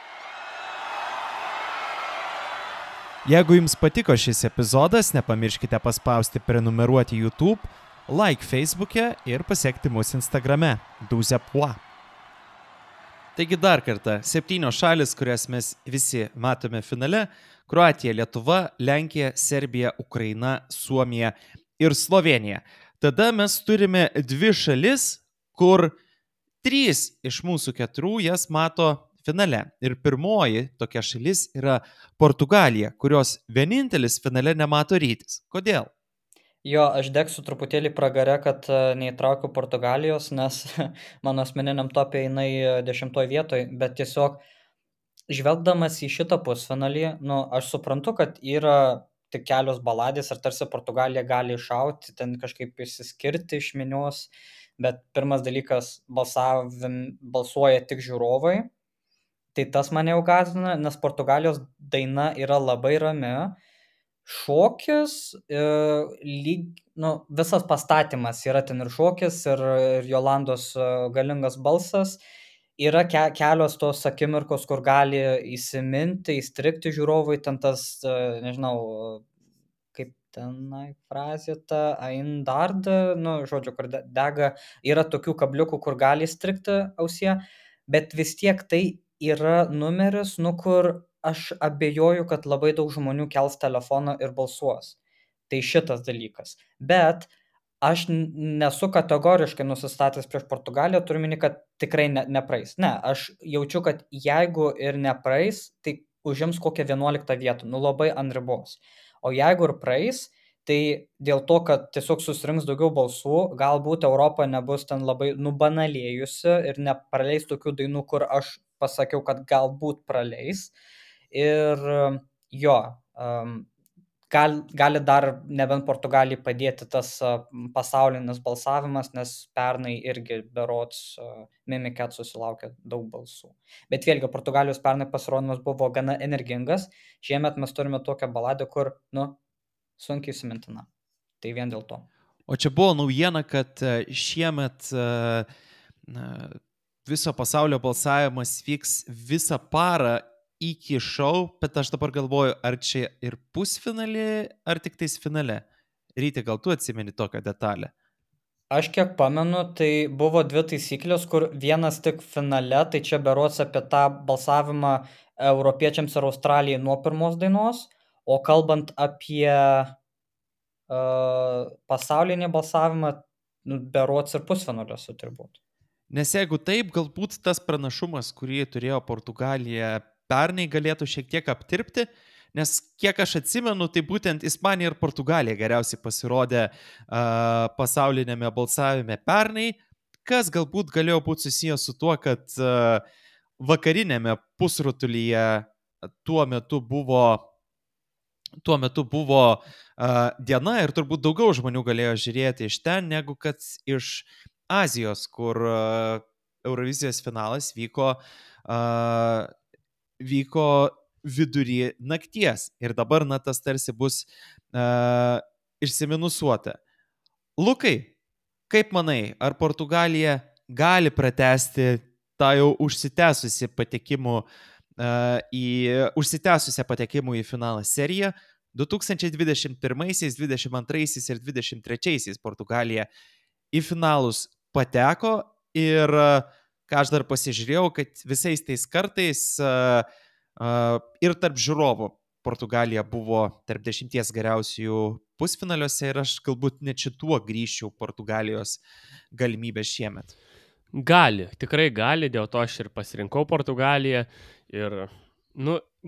Jeigu jums patiko šis epizodas, nepamirškite paspausti prenumeruoti YouTube, like Facebook'e ir pasekti mus Instagrame. 12 points. Taigi dar kartą, 7 šalis, kurias mes visi matome finale – Kroatija, Lietuva, Lenkija, Serbija, Ukraina, Suomija ir Slovenija. Tada mes turime 2 šalis, kur 3 iš mūsų 4 jas mato finale. Ir pirmoji tokia šalis yra Portugalija, kurios vienintelis finale nemato Rytis. Kodėl? Jo, aš degsiu truputėlį pragare, kad neįtraukiu Portugalijos, nes mano asmeniniam topė jinai 10 vietoj, bet tiesiog žvelgdamas į šitą pusfinalį, aš suprantu, kad yra tik kelios baladės ir tarsi Portugalija gali iššauti, ten kažkaip išsiskirti iš minios, bet pirmas dalykas balsuoja tik žiūrovai, tai tas mane jau gąsdina, nes Portugalijos daina yra labai rami. Šokis, visas pastatymas yra ten ir šokis, ir Jolandos galingas balsas, yra kelios tos akimirkos, kur gali įsiminti, įstrigti žiūrovui, ten tas, nežinau, kaip tenai frazė ta, Aindard, žodžiu, kur dega, yra tokių kabliukų, kur gali įstrigti ausie, bet vis tiek tai yra numeris, kur aš abejoju, kad labai daug žmonių kels telefoną ir balsuos. Tai šitas dalykas. Bet aš nesu kategoriškai nusistatęs prieš Portugaliją, turiu minį, kad tikrai nepraeis. Ne, aš jaučiu, kad jeigu ir nepraeis, tai užims kokią 11 vietą, labai ant ribos. O jeigu ir praeis, tai dėl to, kad tiesiog susirinks daugiau balsų, galbūt Europa nebus ten labai nubanalėjusi ir nepraleis tokių dainų, kur aš pasakiau, kad galbūt praleis. Ir jo, gali dar nebent Portugalijai padėti tas pasaulinis balsavimas, nes pernai irgi berods Mimiket susilaukė daug balsų. Bet vėlgi, Portugalijos pernai pasirodymas buvo gana energingas, šiemet mes turime tokią baladę, kur, sunkiai įsimintina. Tai vien dėl to. O čia buvo naujiena, kad šiemet viso pasaulio balsavimas vyks visą parą iki šou, bet aš dabar galvoju, ar čia ir pusfinalį, ar tik tais finale. Ryti, gal tu atsimeni tokią detalę? Aš kiek pamenu, tai buvo 2 taisyklės, kur vienas tik finale, tai čia berods apie tą balsavimą europiečiams ir Australijai nuo pirmos dainos, o kalbant apie pasaulinį balsavimą, berods ir pusfinaliuose turbūt. Nes jeigu taip, galbūt tas pranašumas, kurį turėjo Portugalija pernai, galėtų šiek tiek aptirpti, nes kiek aš atsimenu, tai būtent Ispanija ir Portugalija geriausiai pasirodė pasaulinėme balsavime pernai, kas galbūt galėjo būti susijęs su tuo, kad vakarinėme pusrutulyje tuo metu buvo diena ir turbūt daugiau žmonių galėjo žiūrėti iš ten, negu kad iš Azijos, kur Eurovizijos finalas vyko vidury nakties ir dabar tas tarsi bus išsiminusuota. Lukai, kaip manai, ar Portugalija gali pratęsti tą jau užsitęsusią patekimų į finalą seriją? 2021, 2022 ir 2023 Portugalija į finalus pateko ir ką aš dar pasižiūrėjau, kad visais tais kartais ir tarp žiūrovų Portugalija buvo tarp 10 geriausių pusfinaliuose ir aš galbūt net šituo grįžčiau Portugalijos galimybę šiemet. Gali, tikrai gali, dėl to aš ir pasirinkau Portugaliją ir,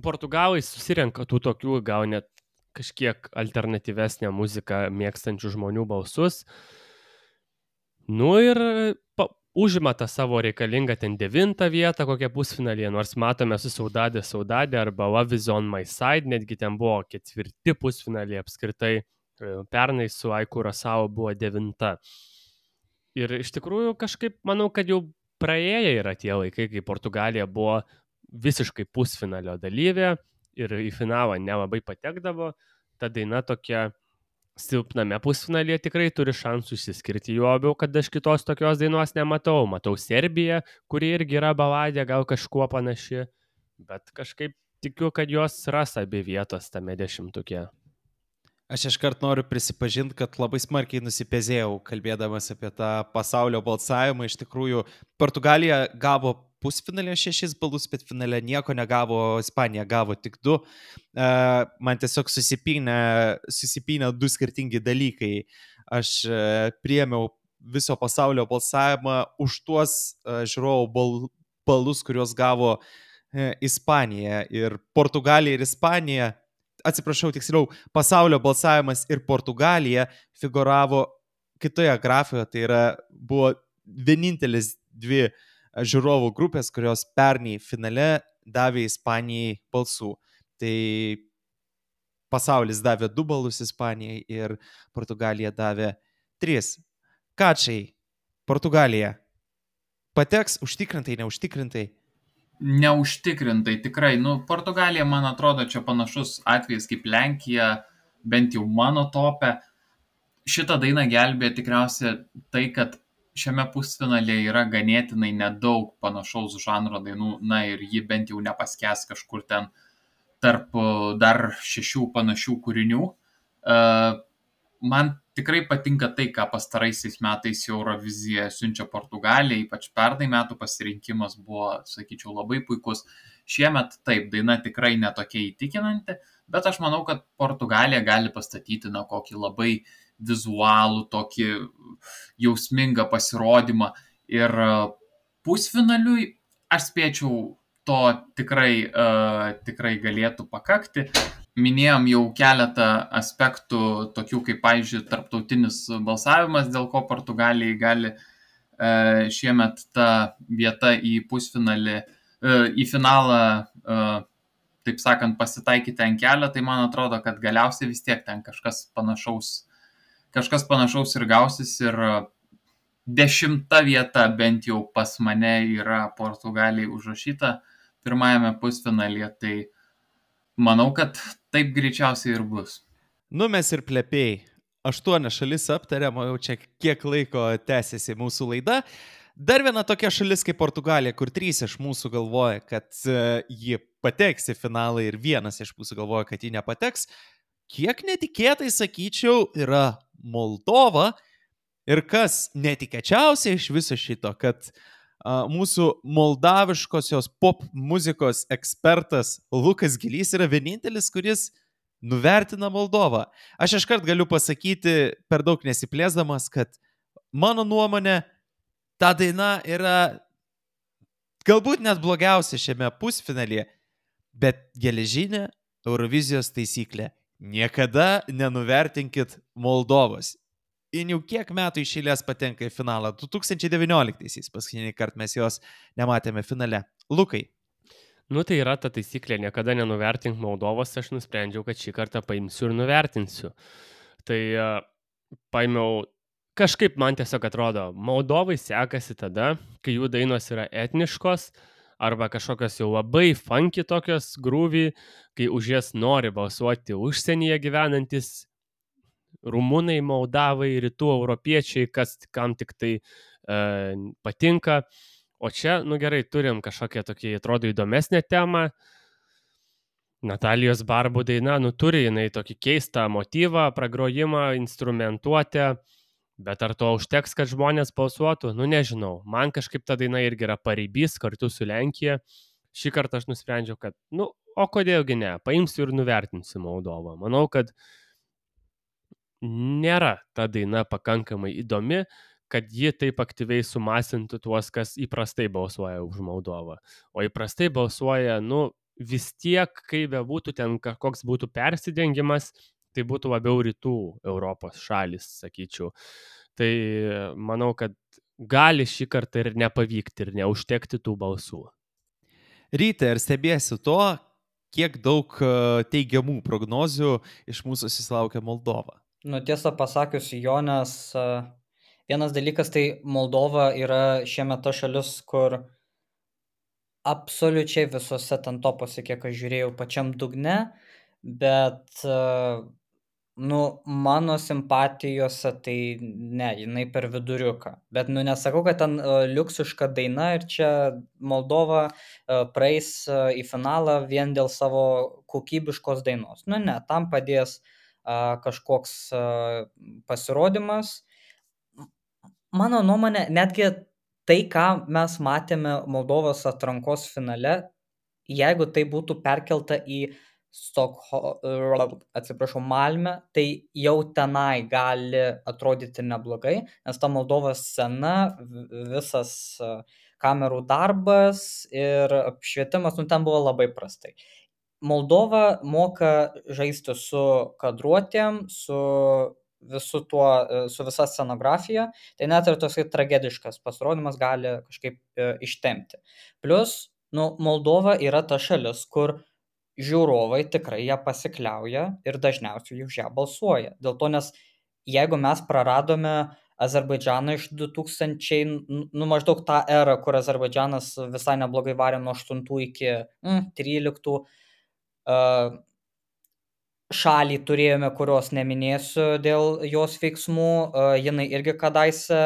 portugalai susirenka tų tokių gal net kažkiek alternatyvesnę muziką mėgstančių žmonių balsus. Ir užima tą savo reikalingą ten 9 vietą kokią pusfinalyje, nors matome su Saudade arba Love is on my side, netgi ten buvo 4 pusfinaliai apskritai, pernai su Aiku Rosao buvo 9. Ir iš tikrųjų kažkaip manau, kad jau praėję yra tie laikai, kai Portugalija buvo visiškai pusfinalio dalyvė ir į finalą nelabai patekdavo. Ta daina tokia silpname pusfinalyje tikrai turi šansų išsiskirti, juo labiau, kad aš kitos tokios dainos nematau. Matau Serbiją, kuri irgi yra baladė, gal kažkuo panaši, bet kažkaip tikiu, kad jos ras abi vietos tame 10-tuke. Aš iškart noriu prisipažinti, kad labai smarkiai nusipezėjau, kalbėdamas apie tą pasaulio balsavimą. Iš tikrųjų, Portugalija gavo pusfinalė 6 balus, bet finale nieko negavo, Ispanija gavo tik 2. Man tiesiog susipynė 2 skirtingi dalykai. Aš priėmiau viso pasaulio balsavimą už tuos žiūrovų balus, kuriuos gavo Ispanija. Ir Portugalija ir Ispanija, atsiprašau, tiksliau, pasaulio balsavimas ir Portugalija figuravo kitoje grafijoje, tai buvo vienintelis 2 žiūrovų grupės, kurios pernai finale davė Ispanijai balsų. Tai pasaulis davė 2 balus Ispanijai ir Portugalija davė 3. Kačai, Portugalija pateks užtikrintai, neužtikrintai? Neužtikrintai, tikrai. Portugalija, man atrodo, čia panašus atvejis kaip Lenkija, bent jau mano tope. Šitą dainą gelbė tikriausiai tai, kad šiame pusfinalėje yra ganėtinai nedaug panašaus žanro dainų, ir ji bent jau nepaskęs kažkur ten tarp dar 6 panašių kūrinių. Man tikrai patinka tai, ką pastaraisiais metais Eurovizija siunčia Portugalijai, ypač pernai metų pasirinkimas buvo, sakyčiau, labai puikus. Šiemet taip, daina tikrai netokia įtikinanti, bet aš manau, kad Portugalija gali pastatyti kokį labai vizualų, tokį jausmingą pasirodymą. Ir pusfinaliui aš spėčiau, to tikrai galėtų pakakti. Minėjom jau keletą aspektų, tokių kaip, pavyzdžiui, tarptautinis balsavimas, dėl ko Portugalijai gali šiemet ta vieta į pusfinalį, į finalą, taip sakant, pasitaikyti ant kelio, tai man atrodo, kad galiausiai vis tiek ten kažkas panašaus ir gausis ir 10 vieta bent jau pas mane yra Portugalijai užrašyta pirmajame pusfinalyje, tai manau, kad taip greičiausiai ir bus. Mes ir plėpiai. 8 šalis aptariam, jau čia kiek laiko tęsiasi mūsų laida. Dar viena tokia šalis kaip Portugalija, kur 3 iš mūsų galvoja, kad ji pateks į finalą ir 1 iš mūsų galvoja, kad ji nepateks. Kiek netikėtai, sakyčiau, yra Moldova. Ir kas netikėčiausia iš viso šito, kad mūsų moldaviškosios pop muzikos ekspertas Lukas Gilys yra vienintelis, kuris nuvertina Moldovą. Aš iškart galiu pasakyti, per daug nesiplėsdamas, kad mano nuomonė, ta daina yra galbūt net blogiausia šiame pusfinalyje, bet geležinė Eurovizijos taisyklė. Niekada nenuvertinkit Moldovos. Ir jau kiek metų iš eilės patenka į finalą. 2019-aisiais paskutinį kartą mes jos nematėme finale. Lukai. Nu tai yra ta taisyklė, niekada nenuvertink Moldovos, aš nusprendžiau, kad šį kartą paimsiu ir nuvertinsiu. Tai paimiau, kažkaip man tiesiog atrodo, Moldovai sekasi tada, kai jų dainos yra etniškos, arba kažkokios jau labai funky tokios grūvy, kai už jas nori balsuoti užsienyje gyvenantis rumunai, moldavai, rytų europiečiai, kas kam tik tai patinka. O čia, nu gerai, turim kažkokią tokį, atrodo, įdomesnę temą. Natalijos Barbu daina, nu turi jinai tokį keistą motyvą, pragrojimą, instrumentuotę, bet ar to užteks, kad žmonės balsuotų? Nu nežinau, man kažkaip ta daina irgi yra paribys kartu su Lenkija. Šį kartą aš nusprendžiau, kad, nu, o kodėlgi ne, paimsiu ir nuvertinsiu Moldovą. Manau, kad nėra ta daina pakankamai įdomi, kad ji taip aktyviai sumasintų tuos, kas įprastai balsuoja už Moldovą. O įprastai balsuoja, nu, vis tiek, kai bebūtų ten koks būtų persidengimas, tai būtų labiau rytų Europos šalis, sakyčiau. Tai manau, kad gali šį kartą ir nepavykti ir neužtekti tų balsų. Ryte, ar stebėsi to, kiek daug teigiamų prognozių iš mūsų susilaukia Moldova? Nu, tiesą pasakius, Jonas, vienas dalykas, tai Moldova yra šiemet ta šalis, kur absoliučiai visose ten topuose, kiek aš žiūrėjau, pačiam dugne, bet nu, mano simpatijose tai ne, jinai per viduriuką. Bet nu, nesakau, kad ten liuksiška daina ir čia Moldova praeis į finalą vien dėl savo kokybiškos dainos. Nu ne, tam padės kažkoks pasirodymas. Mano nuomonė, netgi tai, ką mes matėme Moldovos atrankos finale, jeigu tai būtų perkelta į Malmę, tai jau tenai gali atrodyti neblogai, nes ta Moldovos scena, visas kamerų darbas ir apšvietimas, nu ten buvo labai prastai. Moldova moka žaisti su kadruotėm, su visa scenografija, tai net ir toks tragediškas pasirodymas gali kažkaip ištempti. Plus, nu, Moldova yra ta šalis, kur žiūrovai tikrai ją pasikliauja ir dažniausiai už ją balsuoja. Dėl to, nes jeigu mes praradome Azerbaidžaną iš 2000, nu maždaug tą erą, kur Azerbaidžanas visai neblogai varė nuo 8 iki 13, šalį turėjome, kurios neminėsiu dėl jos veiksmų, jinai irgi kadaise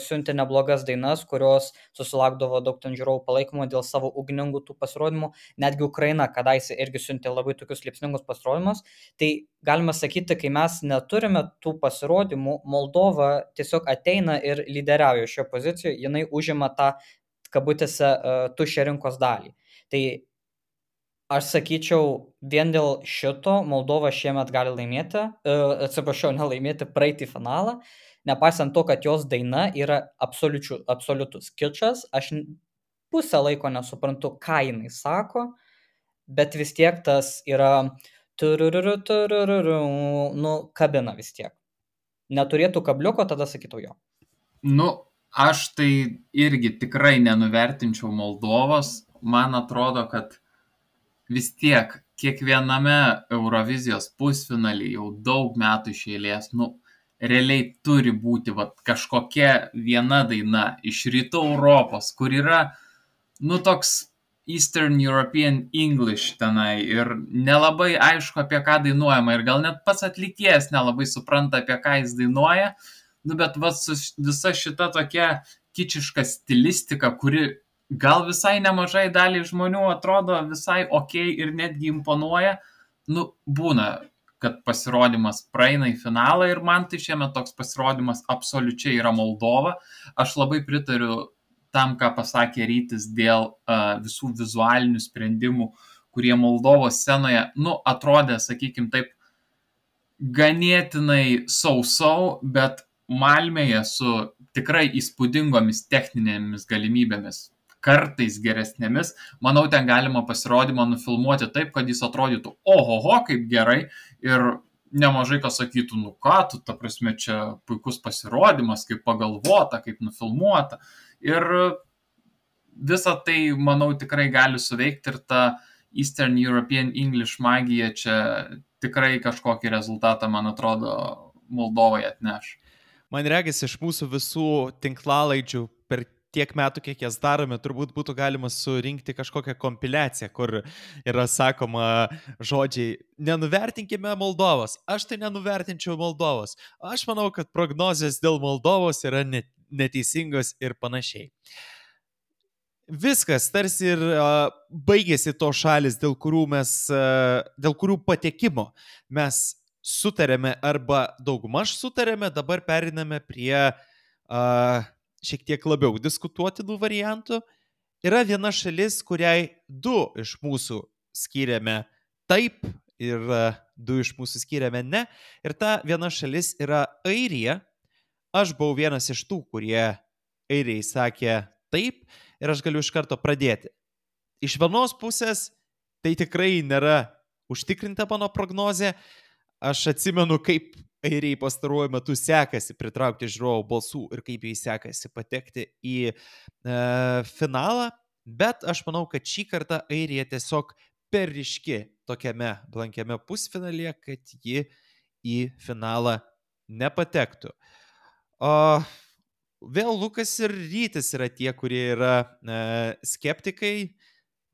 siuntė neblogas dainas, kurios susilaukdavo daug ten žiūrovų palaikymo dėl savo ugningų tų pasirodymų, netgi Ukraina kadaise irgi siuntė labai tokius liepsningus pasirodymus, tai galima sakyti, kai mes neturime tų pasirodymų, Moldova tiesiog ateina ir lyderiauja šioje pozicijoje, jinai užima tą, kabutėse, tuščią rinkos dalį. Tai aš sakyčiau, vien dėl šito Moldova šiemet gali laimėti, nelaimėti, praeiti finalą, nepaisant to, kad jos daina yra absoliutus kičas, aš pusę laiko nesuprantu, ką jinai sako, bet vis tiek tas yra nu, kabina vis tiek. Neturėtų kabliuko, tada sakytų jo. Nu, aš tai irgi tikrai nenuvertinčiau Moldovos, man atrodo, kad vis tiek, kiekviename Eurovizijos pusfinalį jau daug metų iš eilės, nu, realiai turi būti kažkokia viena daina iš rytų Europos, kur yra, nu, toks Eastern European English tenai ir nelabai aišku, apie ką dainuojama ir gal net pats atlikėjas nelabai supranta, apie ką jis dainuoja, nu, bet visa šita tokia kičiška stilistika, kuri gal visai nemažai daliai žmonių atrodo visai okei ir netgi imponuoja, nu, būna, kad pasirodymas praeina į finalą ir man tai šiemet toks pasirodymas absoliučiai yra Moldova. Aš labai pritariu tam, ką pasakė Rytis dėl visų vizualinių sprendimų, kurie Moldovos scenoje, nu, atrodė, sakykim taip, ganėtinai sausau, bet Malmėje su tikrai įspūdingomis techninėmis galimybėmis. kartais geresnėmis. Manau, ten galima pasirodymą nufilmuoti taip, kad jis atrodytų ohoho, kaip gerai ir nemažai kas sakytų, nu ką, tu, ta prasme, čia puikus pasirodymas, kaip pagalvota, kaip nufilmuota. Ir visą tai, manau, tikrai gali suveikti ir ta Eastern European English magija čia tikrai kažkokį rezultatą, man atrodo, Moldovai atneš. Man regis, iš mūsų visų tinklalaidžių per tiek metų, kiek jas darome, turbūt būtų galima surinkti kažkokią kompiliaciją, kur yra sakoma žodžiai, nenuvertinkime Moldovos, aš tai nenuvertinčiau Moldovos, aš manau, kad prognozės dėl Moldovos yra neteisingos ir panašiai. Viskas, tarsi ir baigėsi to šalis, dėl kurių patekimo mes sutarėme arba daugmaž sutarėme, dabar periname prie šiek tiek labiau diskutuotinų variantų. Yra viena šalis, kuriai 2 iš mūsų skyrėme taip ir 2 iš mūsų skyrėme ne. Ir ta viena šalis yra Airija. Aš buvau vienas iš tų, kurie Airijai sakė taip ir aš galiu iš karto pradėti. Iš vienos pusės tai tikrai nėra užtikrinta mano prognozė. Aš atsimenu, kaip Airijai pastaruoju metu sekasi pritraukti žiūrovų balsų ir kaip jai sekasi patekti į finalą, bet aš manau, kad šį kartą Airija tiesiog per ryški tokiame blankiame pusfinalyje, kad ji į finalą nepatektų. Vėl Lukas ir Rytis yra tie, kurie yra skeptikai.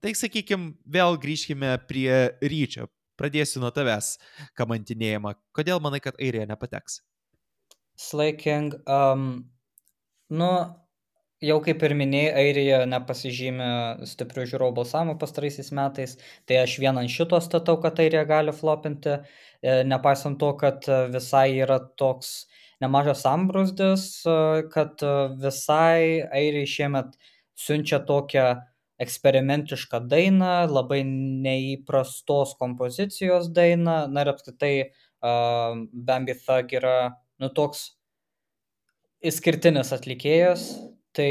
Tai sakykime, vėl grįžkime prie Ryčio. Pradėsiu nuo tavęs kamantinėjimą. Kodėl manai, kad Airija nepateks? Slaiking, jau kaip ir minėjai, Airija nepasižymė stiprių žiūrovų balsavimų pastaraisiais metais, tai aš vieną ant šito statau, kad Airija gali flopinti, nepaisant to, kad visai yra toks nemažas sambrūzdis, kad visai Airijai šiemet siunčia tokią eksperimentišką dainą, labai neįprastos kompozicijos dainą, na ir apskritai Bambi Thug yra toks išskirtinis atlikėjas, tai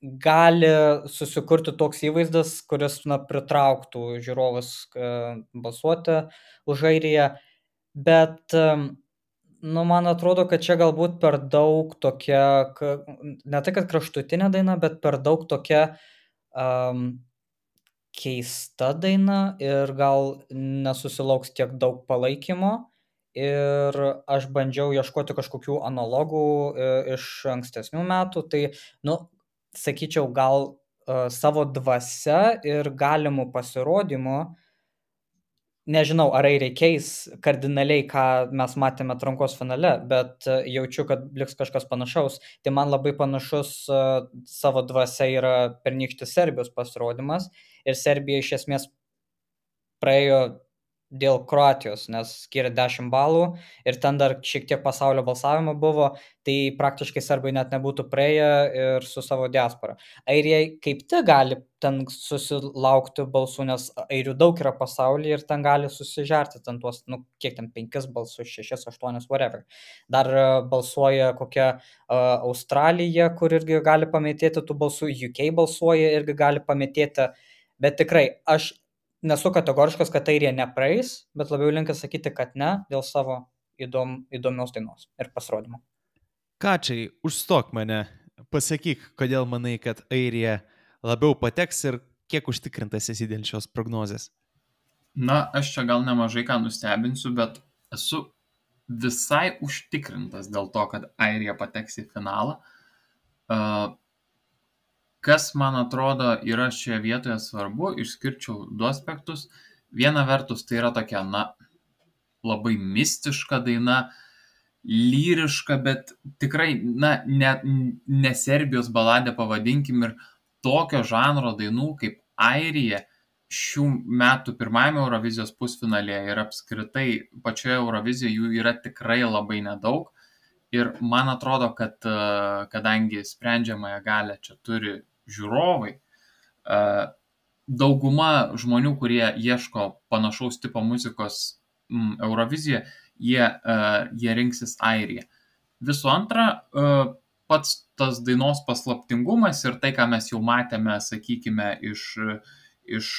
gali susikurti toks įvaizdas, kuris pritrauktų žiūrovus balsuoti už Airiją, bet man atrodo, kad čia galbūt per daug tokia, ne tai kad kraštutinė daina, bet per daug tokia keista daina ir gal nesusilauks tiek daug palaikymo. Ir aš bandžiau ieškoti kažkokių analogų iš ankstesnių metų, tai, sakyčiau, gal savo dvasia ir galimų pasirodymų, nežinau, ar reikės kardinaliai, ką mes matėme atrankos finale, bet jaučiu, kad liks kažkas panašaus. Tai man labai panašus savo dvasia yra pernykštis Serbijos pasirodymas ir Serbija iš esmės praėjo dėl Kroatijos, nes skiria 10 balų ir ten dar šiek tiek pasaulio balsavimo buvo, tai praktiškai serbai net nebūtų praėję ir su savo diaspora. Airijai kaip tik gali ten susilaukti balsų, nes airių daug yra pasaulyje ir ten gali susižerti ten tuos, kiek ten 5 balsus, 6, 8, whatever. Dar balsuoja kokia Australija, kur irgi gali pamėtėti tų balsų, UK balsuoja irgi gali pamėtėti, bet tikrai aš nesu kategoriškas, kad Airija nepraeis, bet labiau linkęs sakyti, kad ne, dėl savo įdomios dainos ir pasirodymo. Kačiai, užstok mane, pasakyk, kodėl manai, kad Airija labiau pateks ir kiek užtikrintas esi dėl šios prognozės? Na, aš čia gal nemažai ką nustebinsiu, bet esu visai užtikrintas dėl to, kad Airija pateks į finalą. Kas, man atrodo, yra šioje vietoje svarbu, išskirčiau 2 aspektus. Viena vertus, tai yra tokia, labai mistiška daina, lyriška, bet tikrai, ne Serbijos baladė pavadinkim, ir tokio žanro dainų kaip Airija šių metų pirmajame Eurovizijos pusfinalėje ir apskritai pačioje Eurovizijoje jų yra tikrai labai nedaug. Ir man atrodo, kad kadangi sprendžiamąją galią čia turi žiūrovai, dauguma žmonių, kurie ieško panašaus tipo muzikos Eurovizijoje, jie rinksis Airiją. Visų antra, pats tas dainos paslaptingumas ir tai, ką mes jau matėme, sakykime, iš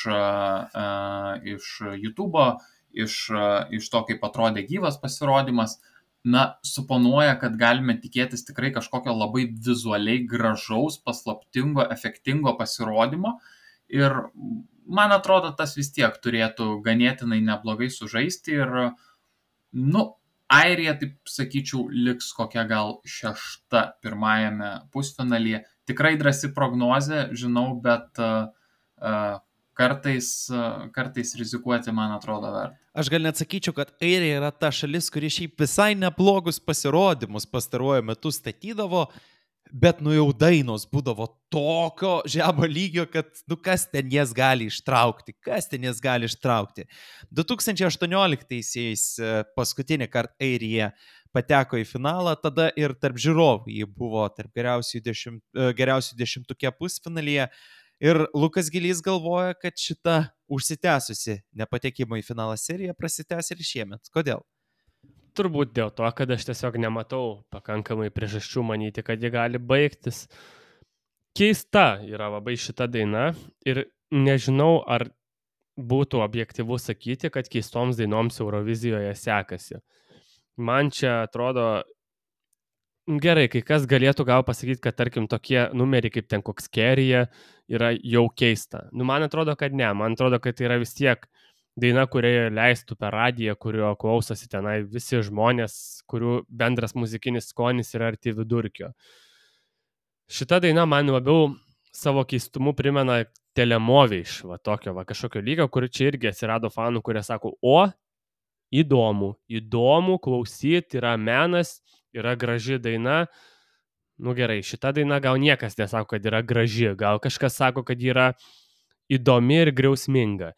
YouTube'o, iš to, kaip atrodė gyvas pasirodymas, suponuoja, kad galime tikėtis tikrai kažkokio labai vizualiai gražaus, paslaptingo, efektingo pasirodymo. Ir man atrodo, tas vis tiek turėtų ganėtinai neblogai sužaisti ir, Airija, taip sakyčiau, liks kokia gal 6 pirmajame pusfinalyje. Tikrai drąsi prognozė, žinau, bet kartais rizikuoti, man atrodo, verta. Aš gal net sakyčiau, kad Airija yra ta šalis, kuri šiaip visai neblogus pasirodymus pastaruoju metu statydavo, bet jau dainos būdavo tokio žemo lygio, kad kas ten jas gali ištraukti. 2018-aisiais paskutinį kartą Airija pateko į finalą, tada ir tarp žiūrovų jį buvo tarp geriausių 10 pusfinalyje. Ir Lukas Gilys galvoja, kad šita užsitęsusi nepatekimo į finalą serija prasitęs ir šiemet. Kodėl? Turbūt dėl to, kad aš tiesiog nematau pakankamai priežasčių manyti, kad ji gali baigtis. Keista yra labai šita daina ir nežinau, ar būtų objektyvu sakyti, kad keistoms dainoms Eurovizijoje sekasi. Man čia atrodo gerai, kai kas galėtų gal pasakyti, kad tarkim tokie numeriai kaip ten koks Kerija yra jau keista. Man atrodo, kad ne. Man atrodo, kad tai yra vis tiek daina, kurioje leistų per radiją, kurio klausosi tenai visi žmonės, kurių bendras muzikinis skonis yra arti vidurkio. Šita daina man labiau savo keistumu primena Telemovė iš tokio kažkokio lygio, kur čia irgi atsirado fanų, kurie sako, įdomu klausyti, yra menas, yra graži daina. Gerai, šita daina gal niekas nesako, kad yra graži, gal kažkas sako, kad yra įdomi ir griausminga,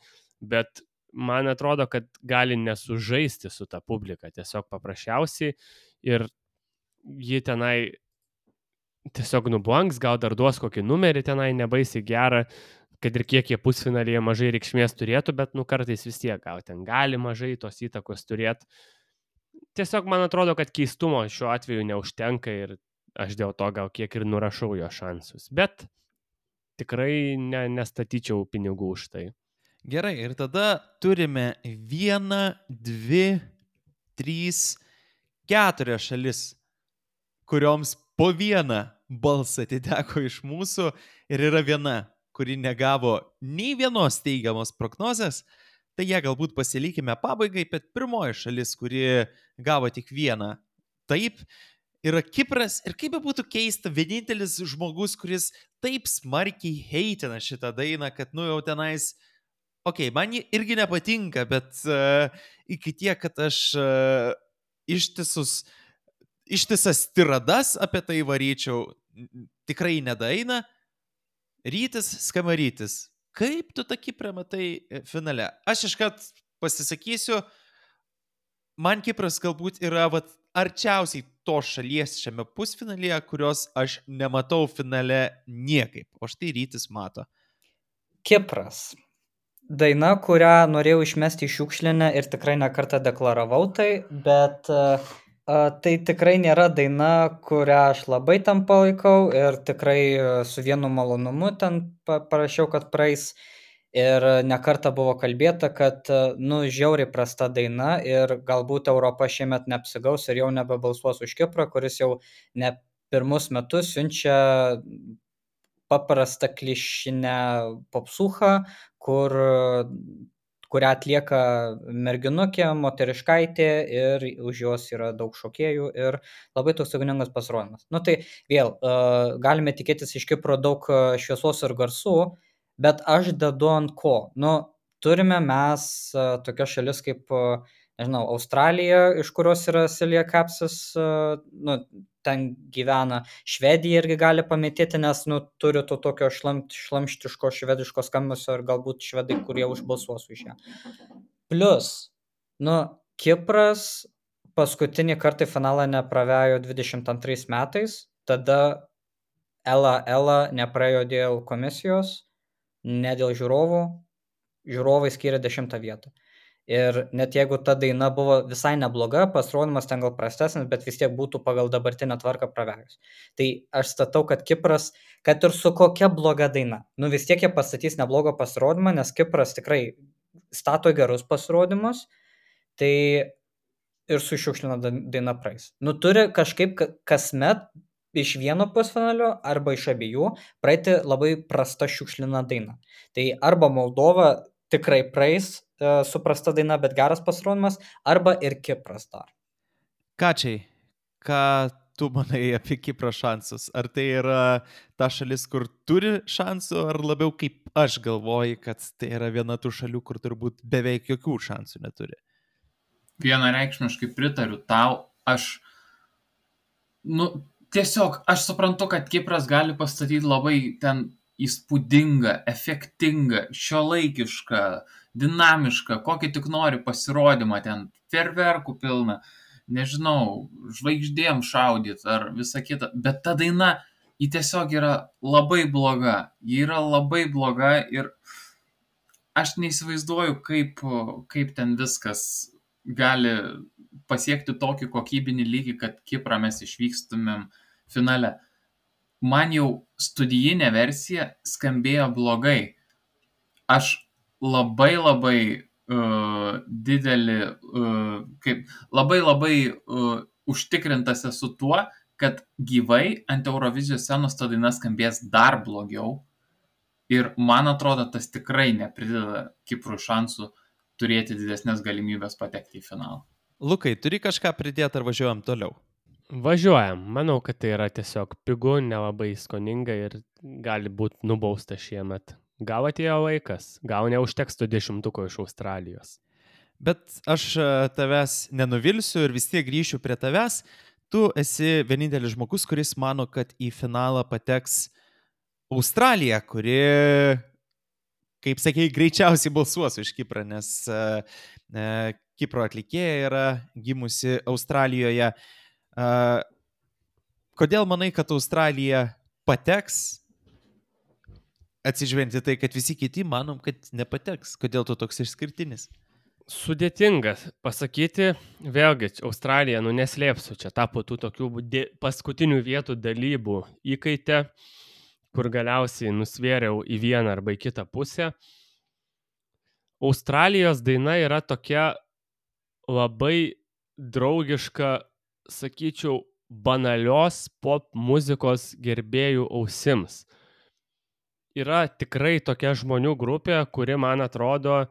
bet man atrodo, kad gali nesužaisti su ta publika, tiesiog paprasčiausiai, ir ji tenai tiesiog nublanks, gal dar duos kokį numerį tenai nebaisiai gerą, kad ir kiek jie pusfinalyje mažai reikšmės turėtų, bet kartais vis tiek gal ten gali mažai tos įtakos turėti. Tiesiog man atrodo, kad keistumo šiuo atveju neužtenka ir aš dėl to gal kiek ir nurašau jo šansus, bet tikrai nestatyčiau pinigų už tai. Gerai, ir tada turime 1, 2, 3, 4 šalis, kurioms po 1 balsą atiteko iš mūsų ir yra viena, kuri negavo nei vienos teigiamos prognozės, tai ją galbūt pasilikime pabaigai, bet pirmoji šalis, kuri gavo tik 1 taip, yra Kipras ir kaip būtų keista, vienintelis žmogus, kuris taip smarkiai heitina šitą dainą, kad jau tenais man ji irgi nepatinka, bet iki tiek, kad aš ištisas tiradas apie tai varyčiau, tikrai nedaina. Rytis Skamarytis. Kaip tu tą Kiprą matai finale? Aš iškart pasisakysiu, man Kipras galbūt yra arčiausiai to šalies šiame pusfinalyje, kurios aš nematau finale niekaip, o štai Rytis mato. Kipras. Daina, kurią norėjau išmesti į šiukšlinę ir tikrai ne kartą deklaravau tai, bet tai tikrai nėra daina, kurią aš labai tam palaikau ir tikrai su vienu malonumu ten parašiau, kad praeis. Ir ne kartą buvo kalbėta, kad žiauriai prasta daina ir galbūt Europa šiemet neapsigaus ir jau nebebalsuos už Kiprą, kuris jau ne pirmus metus siunčia paprastą klišinę popsuchą, kurią atlieka merginukė, moteriškaitė ir už jos yra daug šokėjų ir labai toks ugningas pasirodymas. Tai vėl, galime tikėtis iš Kipro daug šviesos ir garsų, bet aš dedu ant ko. Turime mes tokias šalis kaip, Australija, iš kurios yra Silja Kapsis, ten gyvena. Švedija irgi gali pametėti, nes turi to tokio šlamštiško švediško skambesio ir galbūt švedai, kurie užbalsuos už ją. Plus, Kipras paskutinį kartą į finalą nepravėjo 22 metais, tada Ela nepraėjo dėl komisijos, ne dėl žiūrovų, žiūrovai skiria 10 vietą. Ir net jeigu ta daina buvo visai nebloga, pasirodymas ten gal prastesnis, bet vis tiek būtų pagal dabartinę tvarką praverius. Tai aš statau, kad Kipras, kad ir su kokia bloga daina, vis tiek jie pastatys neblogą pasirodymą, nes Kipras tikrai stato gerus pasirodymus, tai ir su šiukšlina daina praeis. Turi kažkaip kasmet iš vieno pusfinalio arba iš abiejų praeiti labai prasta šiukšlina daina. Tai arba Moldova tikrai praeis su prasta daina, bet geras pasirodymas, arba ir Kipras dar. Kačiai, ką tu manai apie Kipro šansus? Ar tai yra ta šalis, kur turi šansų, ar labiau kaip aš galvoju, kad tai yra viena tų šalių, kur turbūt beveik jokių šansų neturi? Vienareikšmiškai pritariu tau. Tiesiog aš suprantu, kad Kipras gali pastatyti labai ten įspūdingą, efektingą, šiuolaikišką, dinamišką, kokį tik nori pasirodymą, ten fejerverkų pilna, nežinau, žvaigždėm šaudyt ar visa kita, bet ta daina, ji tiesiog yra labai bloga, ir aš neįsivaizduoju, kaip ten viskas gali pasiekti tokį kokybinį lygį, kad Kiprą mes išvykstumėm finale. Man jau studijinė versija skambėjo blogai. Aš labai užtikrintas esu tuo, kad gyvai ant Eurovizijos scenos ta daina skambės dar blogiau. Ir man atrodo, tas tikrai neprideda Kiprui šansų turėti didesnės galimybės patekti į finalą. Lukai, turi kažką pridėti ar važiuojam toliau? Važiuojam. Manau, kad tai yra tiesiog pigu, nelabai skoninga ir gali būti nubausta šiemet. Gal atėjo laikas, gal neužteks 20 iš Australijos. Bet aš tavęs nenuvilsiu ir vis tiek grįšiu prie tavęs. Tu esi vienintelis žmogus, kuris mano, kad į finalą pateks Australija, kuri, kaip sakei, greičiausiai balsuos už Kiprą, nes Kipro atlikėja yra gimusi Australijoje. Kodėl manai, kad Australija pateks, atsižvelgiant į tai, kad visi kiti manom, kad nepateks? Kodėl tu toks išskirtinis? Sudėtingas pasakyti, vėlgi, Australija, neslėpsiu, čia tapo tų tokių paskutinių vietų dalybų įkaitė, kur galiausiai nusvėriau į vieną arba į kitą pusę. Australijos daina yra tokia labai draugiška, sakyčiau, banalios pop muzikos gerbėjų ausims. Yra tikrai tokia žmonių grupė, kuri, man atrodo,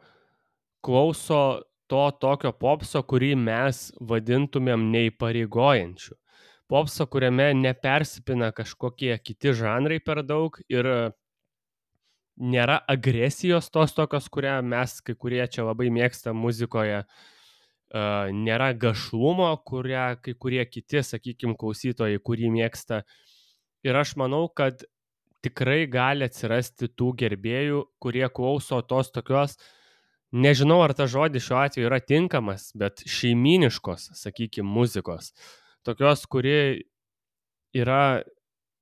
klauso to tokio popso, kurį mes vadintumėm neįpareigojančiu. Popso, kuriame nepersipina kažkokie kiti žanrai per daug ir nėra agresijos tos tokios, kurią mes kai kurie čia labai mėgstam muzikoje. Nėra gašlumo, kurią kai kurie kiti, sakykime, klausytojai, kurį mėgsta. Ir aš manau, kad tikrai gali atsirasti tų gerbėjų, kurie klauso tos tokios, nežinau, ar ta žodis šiuo atveju yra tinkamas, bet šeimyniškos, sakykime, muzikos. Tokios, kuri yra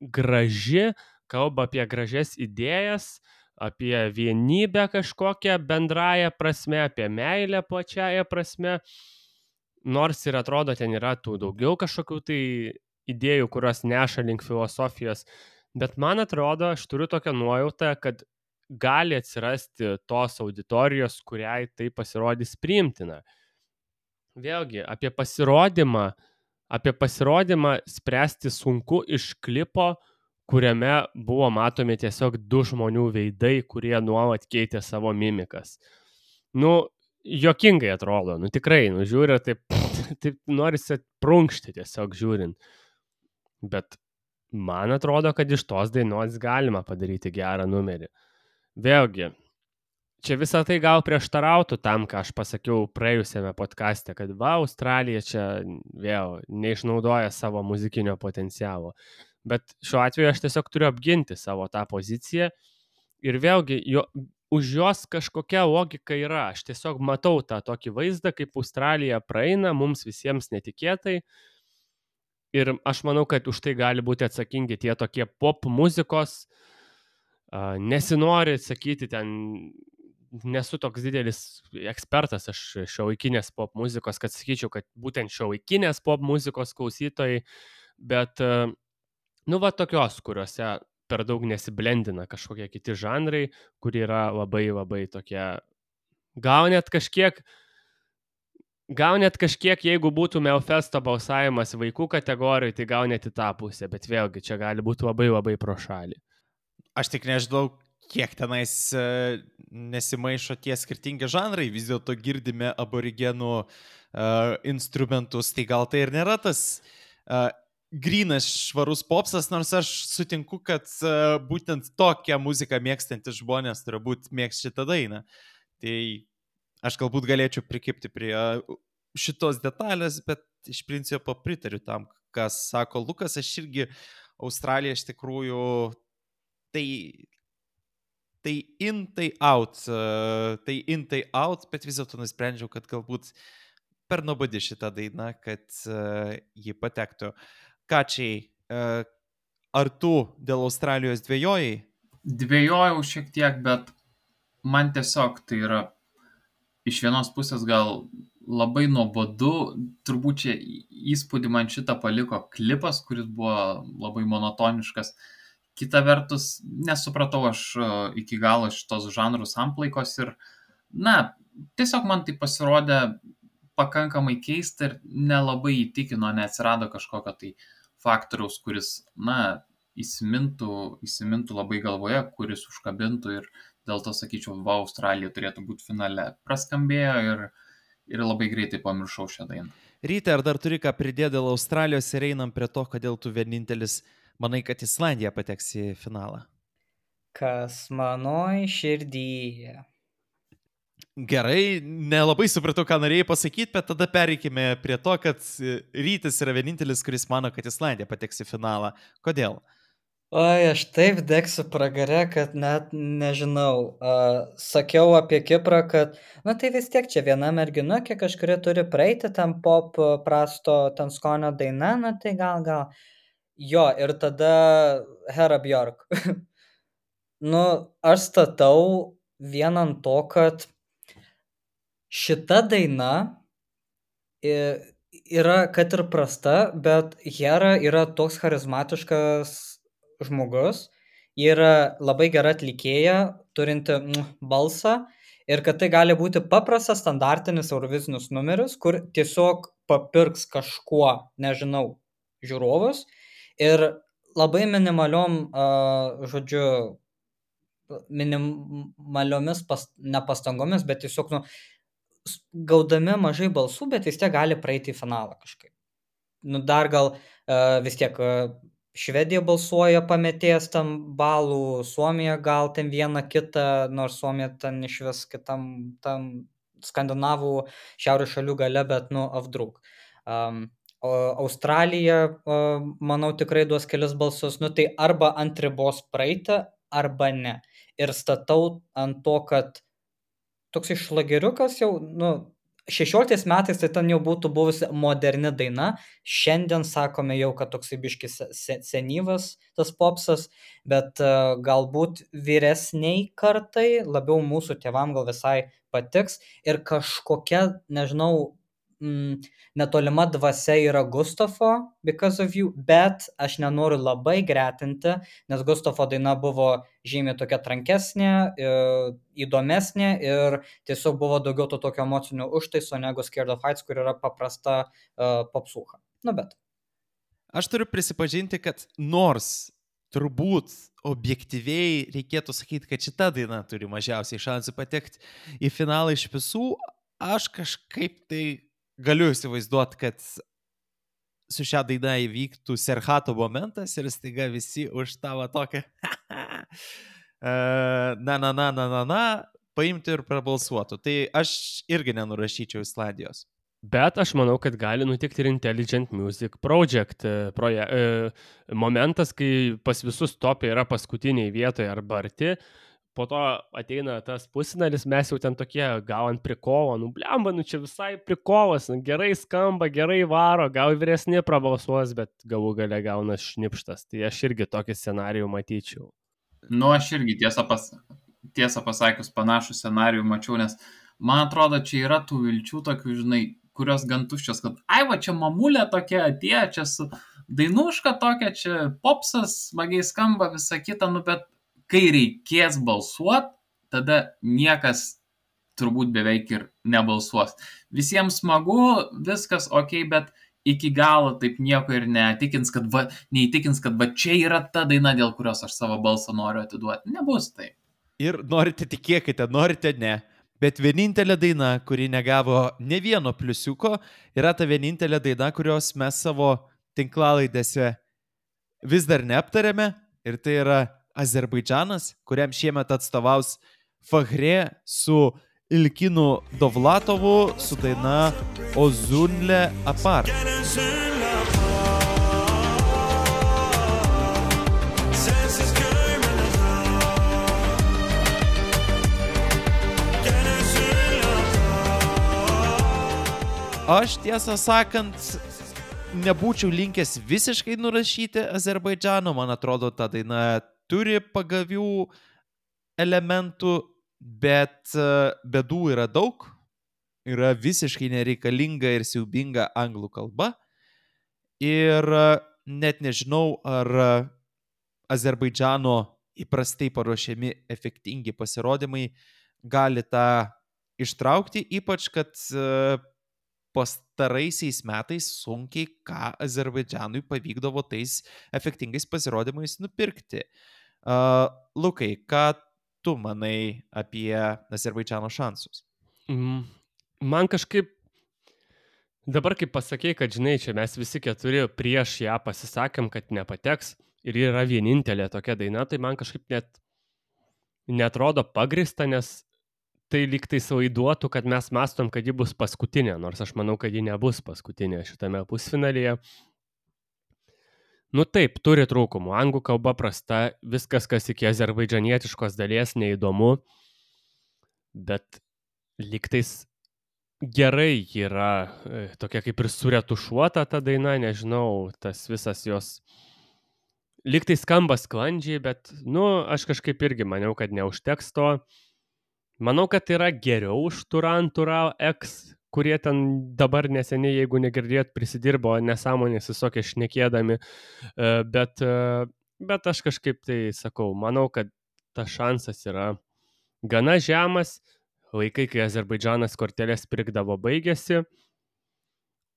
graži, kalba apie gražias idėjas, apie vienybę kažkokią bendrają prasme, apie meilę plačiąją prasme. Nors ir atrodo, ten yra tų daugiau kažkokių tai idėjų, kurios neša link filosofijos. Bet man atrodo, aš turiu tokią nuojautą, kad gali atsirasti tos auditorijos, kuriai tai pasirodys priimtina. Vėlgi, apie pasirodymą spręsti sunku iš klipo, kuriame buvo matomi tiesiog du žmonių veidai, kurie nuolat keitė savo mimikas. Juokingai atrodo, tikrai, žiūri, taip norisi prunkšti tiesiog žiūrint. Bet man atrodo, kad iš tos dainos galima padaryti gerą numerį. Vėlgi, čia visą tai gal prieštarautų tam, ką aš pasakiau praėjusiame podcaste, kad Australija čia vėl neišnaudoja savo muzikinio potencialo. Bet šiuo atveju aš tiesiog turiu apginti savo tą poziciją ir vėlgi už jos kažkokia logika yra. Aš tiesiog matau tą tokį vaizdą, kaip Australija praeina mums visiems netikėtai ir aš manau, kad už tai gali būti atsakingi tie tokie pop muzikos, nesinori sakyti ten nesu toks didelis ekspertas aš šiuolaikinės pop muzikos, kad sakyčiau, kad būtent šiuolaikinės pop muzikos klausytojai, bet, nu, va tokios, kuriuose per daug nesiblendina kažkokie kiti žanrai, kur yra labai labai tokie, gal net kažkiek, jeigu būtų Melfesto balsavimas vaikų kategorijai, tai gal net į tą pusę, bet vėlgi čia gali būti labai labai pro šalį. Aš tik nežinau, kiek tenais nesimaišo tie skirtingi žanrai, vis dėlto girdime aborigenų instrumentus, tai gal tai ir nėra tas grynas švarus popsas, nors aš sutinku, kad būtent tokią muziką mėgstantis žmonės turbūt mėgs šitą dainą. Tai aš galbūt galėčiau prikipti prie šitos detalės, bet iš principo pritariu tam, kas sako Lukas. Aš irgi Australija iš tikrųjų tai in, tai out, bet vis dėlto nusprendžiau, kad galbūt per nuobodi šitą dainą, kad ji patektų. Kačiai, ar tu dėl Australijos dvejojai? Dvejojau šiek tiek, bet man tiesiog tai yra iš vienos pusės gal labai nuobodu, turbūt čia įspūdį man šitą paliko klipas, kuris buvo labai monotoniškas. Kita vertus, nesupratau aš iki galo šitos žanrų samplaikos ir, tiesiog man tai pasirodė pakankamai keista ir nelabai įtikino, neatsirado kažkokio tai faktoriaus, kuris, įsimintų labai galvoje, kuris užkabintų ir dėl to sakyčiau, Australija turėtų būti finale. Praskambėjo ir labai greitai pamiršau šią dainą. Ryte, ar dar turi ką pridėti dėl Australijos ir einam prie to, kodėl tu vienintelis manai, kad Islandija pateks į finalą? Kas manoj širdyje. Gerai, nelabai supratau, ką norėjai pasakyti, bet tada pereikime prie to, kad Rytis yra vienintelis, kuris mano, kad Islandija pateks į finalą. Kodėl? Oi, aš taip degsiu pragare, kad net nežinau. Sakiau apie Kiprą, kad, tai vis tiek čia viena mergina, kiek kažkuri turi praeiti ten pop prasto ten skonio daina, tai gal. Jo, ir tada Hera Björk. Aš statau vien ant to, kad šita daina yra, kad ir prasta, bet Hera yra toks charizmatiškas žmogus, ji yra labai gera atlikėja, turinti balsą ir kad tai gali būti paprastas standartinis eurovizinius numeris, kur tiesiog papirks kažkuo, nežinau, žiūrovus ir labai minimaliomis nepastangomis, bet tiesiog gaudami mažai balsų, bet vis tiek gali praeiti į finalą kažkaip. Dar gal vis tiek Švedija balsuoja pametės tam balų, Suomija gal ten vieną kitą, nors Suomija ten iš vis kitam tam skandinavų šiaurės šalių gale, bet avdruk. Australija, manau, tikrai duos kelis balsus, tai arba ant ribos praeiti, arba ne. Ir statau ant to, kad toks išlageriukas jau, 16 metais tai ten jau būtų buvusi moderni daina, šiandien sakome jau, kad toksai biškis senyvas tas popsas, bet galbūt vyresniai kartai, labiau mūsų tėvam gal visai patiks ir kažkokia, nežinau, netolima dvasia yra Gustavo Because of You, bet aš nenoriu labai gretinti, nes Gustavo daina buvo žymiai tokia trankesnė, įdomesnė ir tiesiog buvo daugiau to tokio emocinio užtaiso negu Scared of Heights, kur yra paprasta popsūcha. Bet. Aš turiu prisipažinti, kad nors turbūt objektyviai reikėtų sakyti, kad šita daina turi mažiausiai šansų patekti į finalą iš visų, aš kažkaip tai galiu įsivaizduoti, kad su šią dainą įvyktų Serhato momentas ir staiga visi už tavo tokią paimti ir prabalsuotų. Tai aš irgi nenurašyčiau Islandijos. Bet aš manau, kad gali nutikti ir Intelligent Music Project momentas, kai pas visus topė yra paskutiniai vietoje arba arti. Po to ateina tas pusfinalis, mes jau ten tokie gal ant prikovo, blemba, čia visai prikolas, gerai skamba, gerai varo, gal vyresni prabalsuos, bet galų gale gauna šnipštas. Tai aš irgi tokį scenarijų matyčiau. Aš irgi tiesą pasakius panašų scenarijų mačiau, nes man atrodo, čia yra tų vilčių tokių, žinai, kurios gan tuščios, kad ai va, čia mamulė tokia atėjo, čia su dainuška tokia, čia popsas, smagiai skamba, visa kita, nu bet kai reikės balsuot, tada niekas turbūt beveik ir nebalsuos. Visiems smagu, viskas ok, bet iki galo taip nieko ir neįtikins, kad va čia yra ta daina, dėl kurios aš savo balsą noriu atiduoti. Nebus taip. Ir norite tikėkite, norite ne. Bet vienintelė daina, kuri negavo ne vieno pliusiuko, yra ta vienintelė daina, kurios mes savo tinklalaidėse vis dar neaptarėme. Ir tai yra Azerbaidžanas, kuriam šiemet atstovaus Fahre su Ilkinu Dovlatovu su daina Ozunle Apar. Aš tiesą sakant, nebūčiau linkęs visiškai nurašyti Azerbaidžano. Man atrodo, ta daina turi pagavių elementų, bet bėdų yra daug. Yra visiškai nereikalinga ir siaubinga anglų kalba. Ir net nežinau, ar Azerbaidžano įprastai paruošiami efektingi pasirodymai gali tą ištraukti, ypač kad pastaraisiais metais sunkiai ką Azerbaidžanui pavykdavo tais efektingais pasirodymais nupirkti. Lukai, ką tu manai apie Azerbaidžano šansus? Man kažkaip, dabar kaip pasakei, kad žinai, čia mes visi keturi prieš ją pasisakėm, kad nepateks ir yra vienintelė tokia daina, tai man kažkaip net netrodo pagrįsta, nes tai lyg tai savaiduotų, kad mes mastom, kad ji bus paskutinė, nors aš manau, kad ji nebus paskutinė šitame pusfinalyje. Nu taip, turi trūkumų. Anglų kalba prasta, viskas, kas iki azerbaidžanietiškos dalies neįdomu, bet lyg tais gerai yra tokia kaip ir suretušuota ta daina, nežinau, tas visas jos lyg tai skamba sklandžiai, bet, aš kažkaip irgi maniau, kad neužteks to. Manau, kad yra geriau už Turan X, kurie ten dabar neseniai, jeigu negirdėt, prisidirbo nesąmonės visokie šnekėdami, bet aš kažkaip tai sakau, manau, kad tas šansas yra gana žemas, laikai, kai Azerbaidžanas kortelės pirkdavo baigėsi,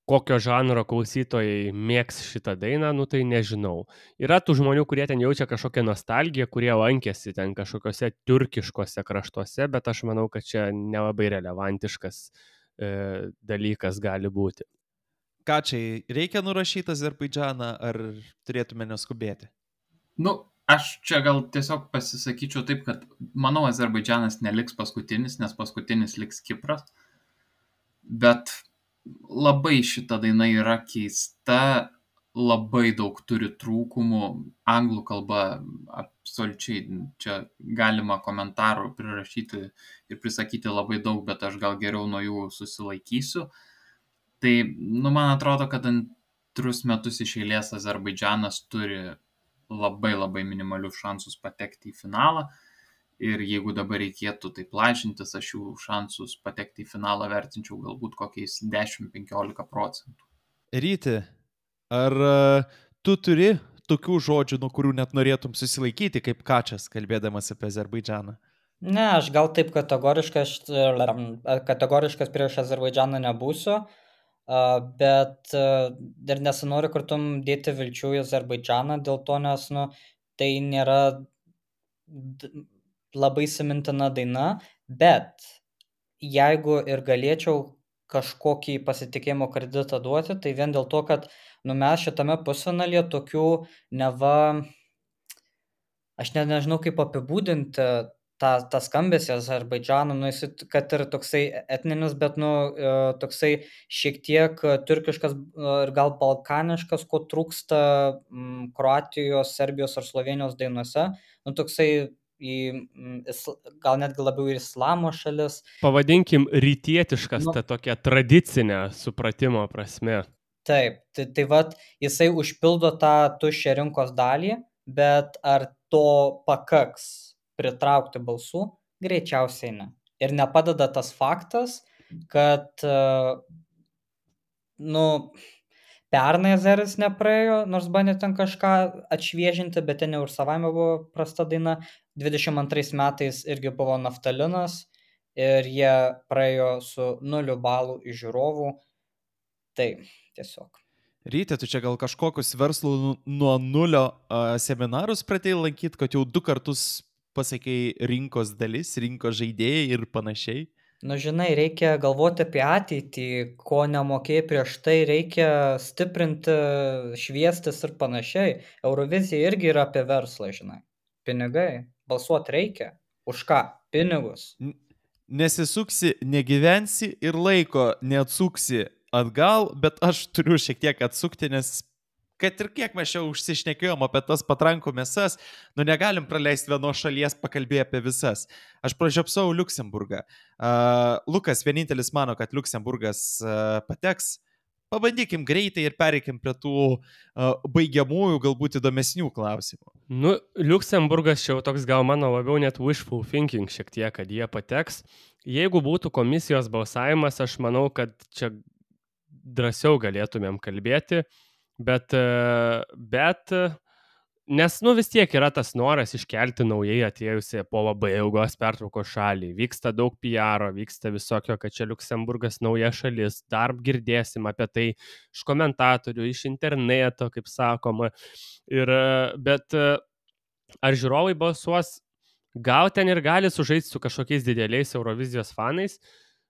kokio žanro klausytojai mėgs šitą dainą, tai nežinau. Yra tų žmonių, kurie ten jaučia kažkokią nostalgiją, kurie lankėsi ten kažkokiose turkiškose kraštuose, bet aš manau, kad čia nelabai relevantiškas dalykas gali būti. Ką čia, reikia nurašyti Azerbaidžaną, ar turėtume neskubėti? Aš čia gal tiesiog pasisakyčiau taip, kad manau, Azerbaidžanas neliks paskutinis, nes paskutinis liks Kipras, bet labai šita daina yra keista, labai daug turi trūkumų, anglų kalba absoliučiai, čia galima komentarų prirašyti ir prisakyti labai daug, bet aš gal geriau nuo jų susilaikysiu. Tai, man atrodo, kad antrus metus iš eilės Azerbaidžanas turi labai labai minimalius šansus patekti į finalą. Ir jeigu dabar reikėtų taip lažintis, aš jų šansus patekti į finalą vertinčiau galbūt kokiais 10-15%. Ryti, ar tu turi tokių žodžių, nuo kurių net norėtum susilaikyti, kaip Kačas, kalbėdamas apie Azerbaidžaną? Ne, aš gal taip kategoriškas prieš Azerbaidžaną nebūsiu, bet dar nesinori kartum dėti vilčių į Azerbaidžaną dėl to, nes tai nėra labai įsimintina daina, bet jeigu ir galėčiau kažkokį pasitikėjimo kreditą duoti, tai vien dėl to, kad mes šitame pusfinalyje tokių aš net nežinau kaip apibūdinti tą skambesį Azerbaidžano, kad ir toksai etninis, bet toksai šiek tiek turkiškas ir gal balkaniškas, ko trūksta Kroatijos, Serbijos ar Slovenijos dainose, toksai gal netgi labiau ir islamo šalis. Pavadinkim rytietiškas, ta tokia tradicinė supratimo prasme. Taip, tai vat jisai užpildo tą tuščią rinkos dalį, bet ar to pakaks pritraukti balsų, Greičiausiai ne. Ir nepadeda tas faktas, kad, pernai Azeris nepraėjo, nors bandė ten kažką atšviežinti, bet ten jau ir savaime buvo prasta daina. 22 metais irgi buvo Naftalinas ir jie praėjo su 0 balų iš žiūrovų. Tai tiesiog. Ryte, tu čia gal kažkokius verslų nuo nulio seminarus pradėjai lankyti, kad jau 2 kartus pasakei rinkos dalis, rinkos žaidėjai ir panašiai? Žinai, reikia galvoti apie ateitį, ko nemokėjai prieš tai, reikia stiprinti, šviestis ir panašiai. Eurovizija irgi yra apie verslą, žinai. Pinigai, balsuoti reikia. Už ką? Pinigus. Nesisuksi, negyvensi ir laiko neatsuksi atgal, bet aš turiu šiek tiek atsukti, nes kad ir kiek mes čia užsišnekėjom apie tas patrankų mesas, negalim praleisti vienos šalies, pakalbėti apie visas. Aš pražiopsau Liuksemburgą. Lukas vienintelis mano, kad Liuksemburgas pateks. Pabandykim greitai ir pereikim prie tų baigiamųjų, galbūt įdomesnių klausimų. Liuksemburgas čia jau toks gal mano labiau net wishful thinking šiek tiek, kad jie pateks. Jeigu būtų komisijos balsavimas, aš manau, kad čia drąsiau galėtumėm kalbėti. Bet, nes vis tiek yra tas noras iškelti naujai atėjusią po labai ilgos pertraukos šalį. Vyksta daug PR, vyksta visokio, kad čia Liuksemburgas nauja šalis, dar girdėsim apie tai iš komentatorių, iš interneto, kaip sakoma. Bet ar žiūrovai balsuos, gal ten ir gali sužaisti su kažkokiais dideliais Eurovizijos fanais,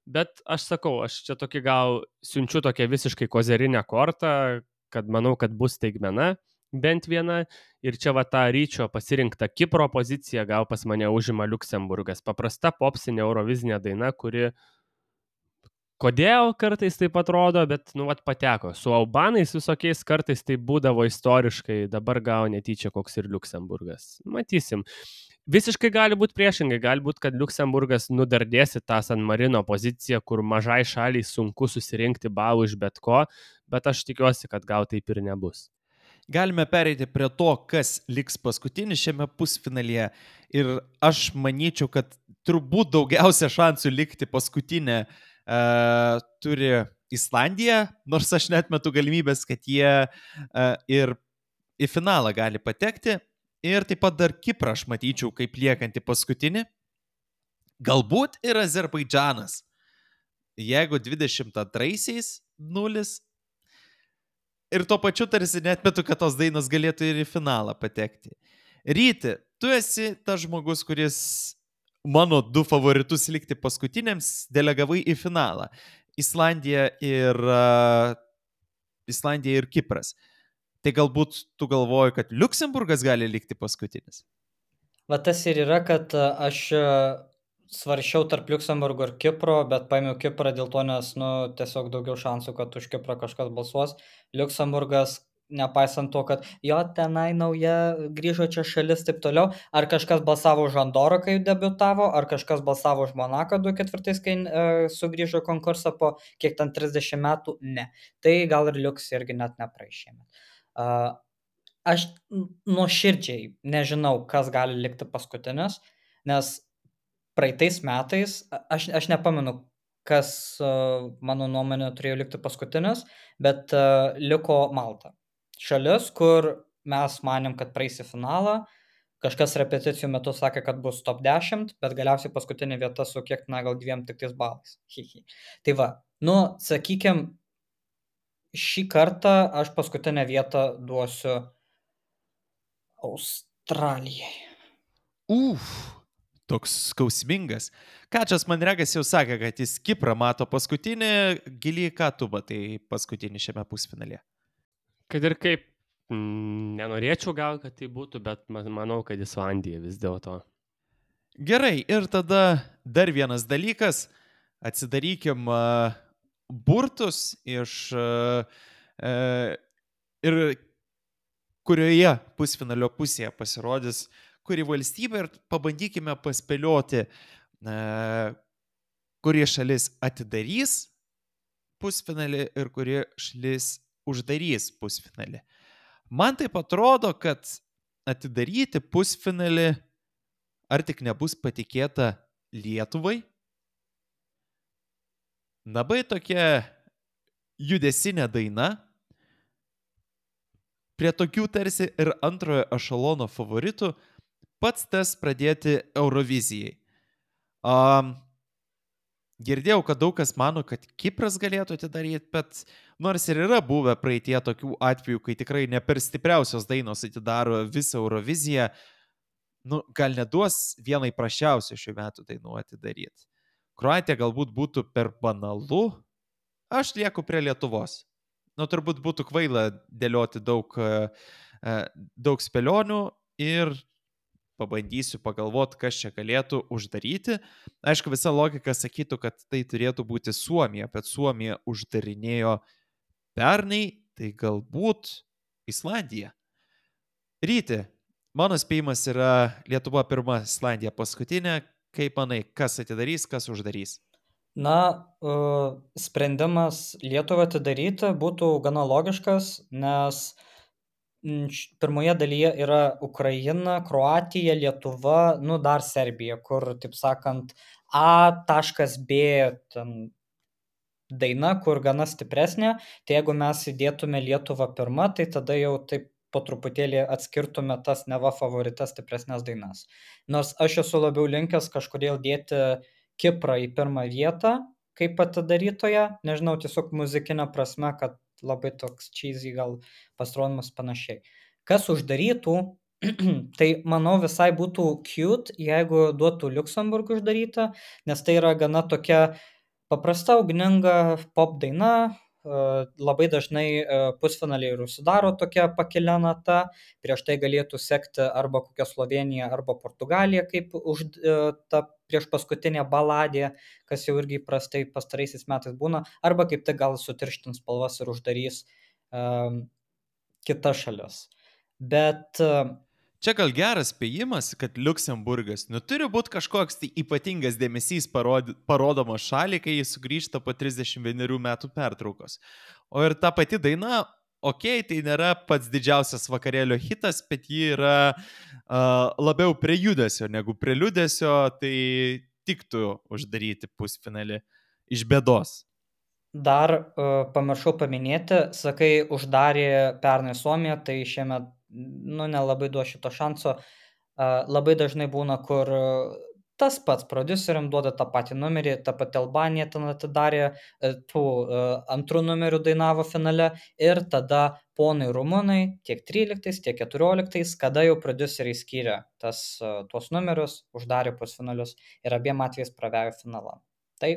bet aš sakau, aš čia tokį gal siunčiu tokią visiškai kozerinę kortą, kad manau, kad bus staigmena bent viena ir čia ta Ryčio pasirinkta Kipro pozicija gal pas mane užima Liuksemburgas. Paprasta popsinė eurovizinė daina, kuri kodėl kartais taip atrodo, bet pateko. Su albanais visokiais kartais tai būdavo istoriškai, dabar gal netyčia koks ir Liuksemburgas. Matysim. Visiškai gali būti priešingai, gali būti, kad Liuksemburgas nudardėsi tą San Marino poziciją, kur mažai šaliai sunku susirinkti balų iš bet ko, bet aš tikiuosi, kad gal taip ir nebus. Galime pereiti prie to, kas liks paskutinis šiame pusfinalyje. Ir aš manyčiau, kad turbūt daugiausia šansų likti paskutinė turi Islandija, nors aš neatmetu galimybės, kad jie ir į finalą gali patekti. Ir taip pat dar Kiprą aš matyčiau kaip liekantį paskutinį. Galbūt ir Azerbaidžanas. Jeigu 22-aisiais 0. Ir tuo pačiu tarsi neatmetu, kad tos dainos galėtų ir į finalą patekti. Ryti, tu esi tas žmogus, kuris mano 2 favoritus likti paskutiniams delegavai į finalą. Islandija ir Kipras. Tai galbūt tu galvoji, kad Liuksemburgas gali likti paskutinis? Tas ir yra, kad aš svaršiau tarp Liuksemburgo ir Kipro, bet paėmiau Kiprą dėl to, nes tiesiog daugiau šansų, kad už Kiprą kažkas balsuos. Liuksemburgas, nepaisant to, kad jo tenai nauja grįžo čia šalis, taip toliau, ar kažkas balsavo už Andorą, kai debiutavo, ar kažkas balsavo už Monaką 2004, kai sugrįžo konkursą po kiek ten 30 metų, ne. Tai gal ir Liuks irgi net neprašėme. Aš nuoširdžiai nežinau, kas gali likti paskutinis, nes praeitais metais, aš nepamenu, kas mano nuomonė turėjo likti paskutinis, bet liko Malta. Šalis, kur mes manėm, kad praeis į finalą, kažkas repeticijų metu sakė, kad bus top 10, bet galiausiai paskutinė vieta su kiek, gal 2 tik tais balais. Tai va, sakykim, šį kartą aš paskutinę vietą duosiu Australijai. Toks skausmingas. Kačas man regas jau sakė, kad jis Kiprą mato paskutinį. Giliai, ką tu matai paskutinį šiame pusfinalyje? Kad ir kaip, nenorėčiau gal, kad tai būtų, bet manau, kad Islandija vis dėlto. Gerai, ir tada dar vienas dalykas. Atsidarykim burtus ir kurioje pusfinalio pusėje pasirodys kuri valstybė ir pabandykime paspėlioti, kuri šalis atidarys pusfinalį ir kuri šalis uždarys pusfinalį. Man taip atrodo, kad atidaryti pusfinalį ar tik nebus patikėta Lietuvai. Labai tokia judesinė daina. Prie tokių tarsi ir antrojo ešalono favoritų pats tas pradėti Eurovizijai. Girdėjau, kad daug kas mano, kad Kipras galėtų atidaryti, bet nors ir yra buvę praeitie tokių atvejų, kai tikrai ne per stipriausios dainos atidaro visą Euroviziją, gal neduos vienai prašiausių šių metų dainų atidaryti. Kroatija galbūt būtų per banalu, aš lieku prie Lietuvos. Turbūt būtų kvaila dėlioti daug spėlionių ir pabandysiu pagalvoti, kas čia galėtų uždaryti. Aišku, visa logika sakytų, kad tai turėtų būti Suomija, bet Suomija uždarinėjo pernai, tai galbūt Islandija. Ryti, mano spėjimas yra Lietuva pirma, Islandija paskutinė. Kaip manai, kas atidarys, kas uždarys? Sprendimas Lietuvą atidaryti būtų gana logiškas, nes pirmoje dalyje yra Ukraina, Kroatija, Lietuva, dar Serbija, kur, taip sakant, A.B daina, kur gana stipresnė. Tai jeigu mes įdėtume Lietuvą pirmą, tai tada jau taip po truputėlį atskirtume tas neva favoritas stipresnės dainas. Nors aš esu labiau linkęs kažkodėl dėti Kiprą į pirmą vietą, kaip atidarytoje, nežinau, tiesiog muzikinė prasme, kad labai toks cheesy gal pasirodymas panašiai. Kas uždarytų, tai manau visai būtų cute, jeigu duotų Liuksemburg uždarytą, nes tai yra gana tokia paprasta, ugninga pop daina, labai dažnai pusfinaliai ir užsidaro tokia pakelia nata, prieš tai galėtų sekti arba kokia Slovenija, arba Portugalija, kaip ta prieš paskutinė baladė, kas jau irgi prastai pastaraisiais metais būna, arba kaip tai gal sutirštins spalvas ir uždarys kitas šalis. Bet čia gal geras spėjimas, kad Liuksemburgas turi būti kažkoks tai ypatingas dėmesys parodomas šaliai, kai jis sugrįžta po 31 metų pertraukos. O ir ta pati daina, tai nėra pats didžiausias vakarėlio hitas, bet ji yra labiau prie judesio negu prie liūdesio, tai tiktų uždaryti pusfinalį iš bėdos. Dar pamiršau paminėti, sakai, uždarė pernai Suomija, tai šiemet nelabai duos šito šanso. Labai dažnai būna, kur tas pats prodiuseriam duoda tą patį numerį, ta pati Albanija ten atidarė, antrų numerių dainavo finale ir tada ponai rumunai tiek 13, tiek 14, kada jau prodiuseriai skyrė tuos numerius, uždarė pusfinalius ir abiem atvejais pravėjo finalą. Tai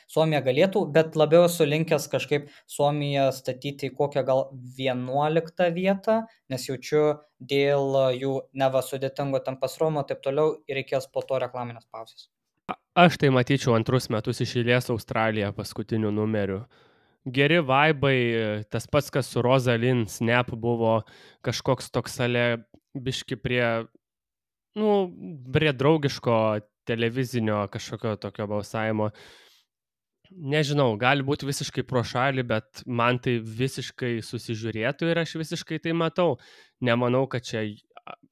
Suomija galėtų, bet labiau esu linkęs kažkaip Suomiją statyti į kokią gal 11 vietą, nes jaučiu dėl jų neva sudėtingo ten pasirodymo, taip toliau ir reikės po to reklaminės pauzės. Aš tai matyčiau antrus metus iš eilės Australiją paskutiniu numeriu. Geri vaibai, tas pats, kas su Rosalind Snap buvo kažkoks toks biški prie draugiško televizinio kažkokio tokio balsavimo. Nežinau, gali būti visiškai pro šalį, bet man tai visiškai susižiūrėtų ir aš visiškai tai matau. Nemanau, kad čia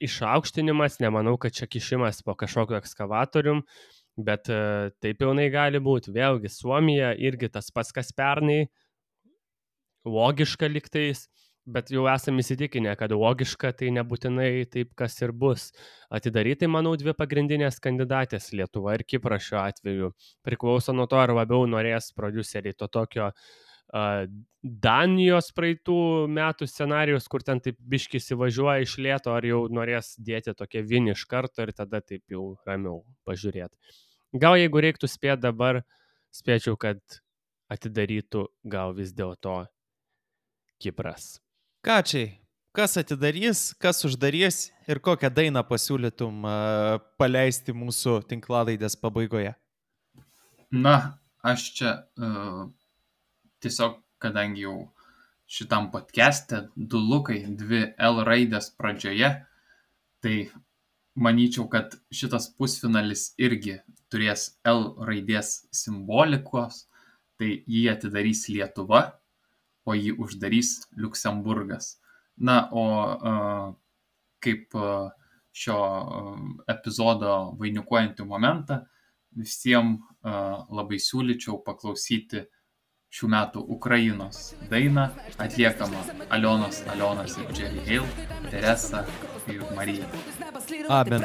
išaukštinimas, nemanau, kad čia kišimas po kažkokio ekskavatorium, bet taip jaunai gali būti. Vėlgi, Suomija irgi tas pats, kas pernai, logiška liktais, bet jau esame įsitikinę, kad logiška tai nebūtinai taip, kas ir bus. Atidaryti, manau, dvi pagrindinės kandidatės, Lietuva ir Kipras šiuo atveju. Priklauso nuo to, ar labiau norės prodiuseriai to tokio Danijos praeitų metų scenarijus, kur ten taip biški įsivažiuoja iš lėto, ar jau norės dėti tokie vieni iš karto ir tada taip jau ramiau pažiūrėti. Gal jeigu reiktų spėti dabar, spėčiau, kad atidarytų gal vis dėlto Kipras. Kačiai, kas atidarys, kas uždarys ir kokią dainą pasiūlytum paleisti mūsų tinklalaidės pabaigoje? Aš čia tiesiog, kadangi jau šitam podcast'e 2 lukai, 2 L raidės pradžioje, tai manyčiau, kad šitas pusfinalis irgi turės L raidės simbolikos, tai jį atidarys Lietuva, o jį uždarys Liuksemburgas. O kaip šio epizodo vainikuojantį momentą, visiems labai siūlyčiau paklausyti šių metų Ukrainos dainą, atliekamą Alionos ir Jerry Hale, Teresa ir Marija. Amen.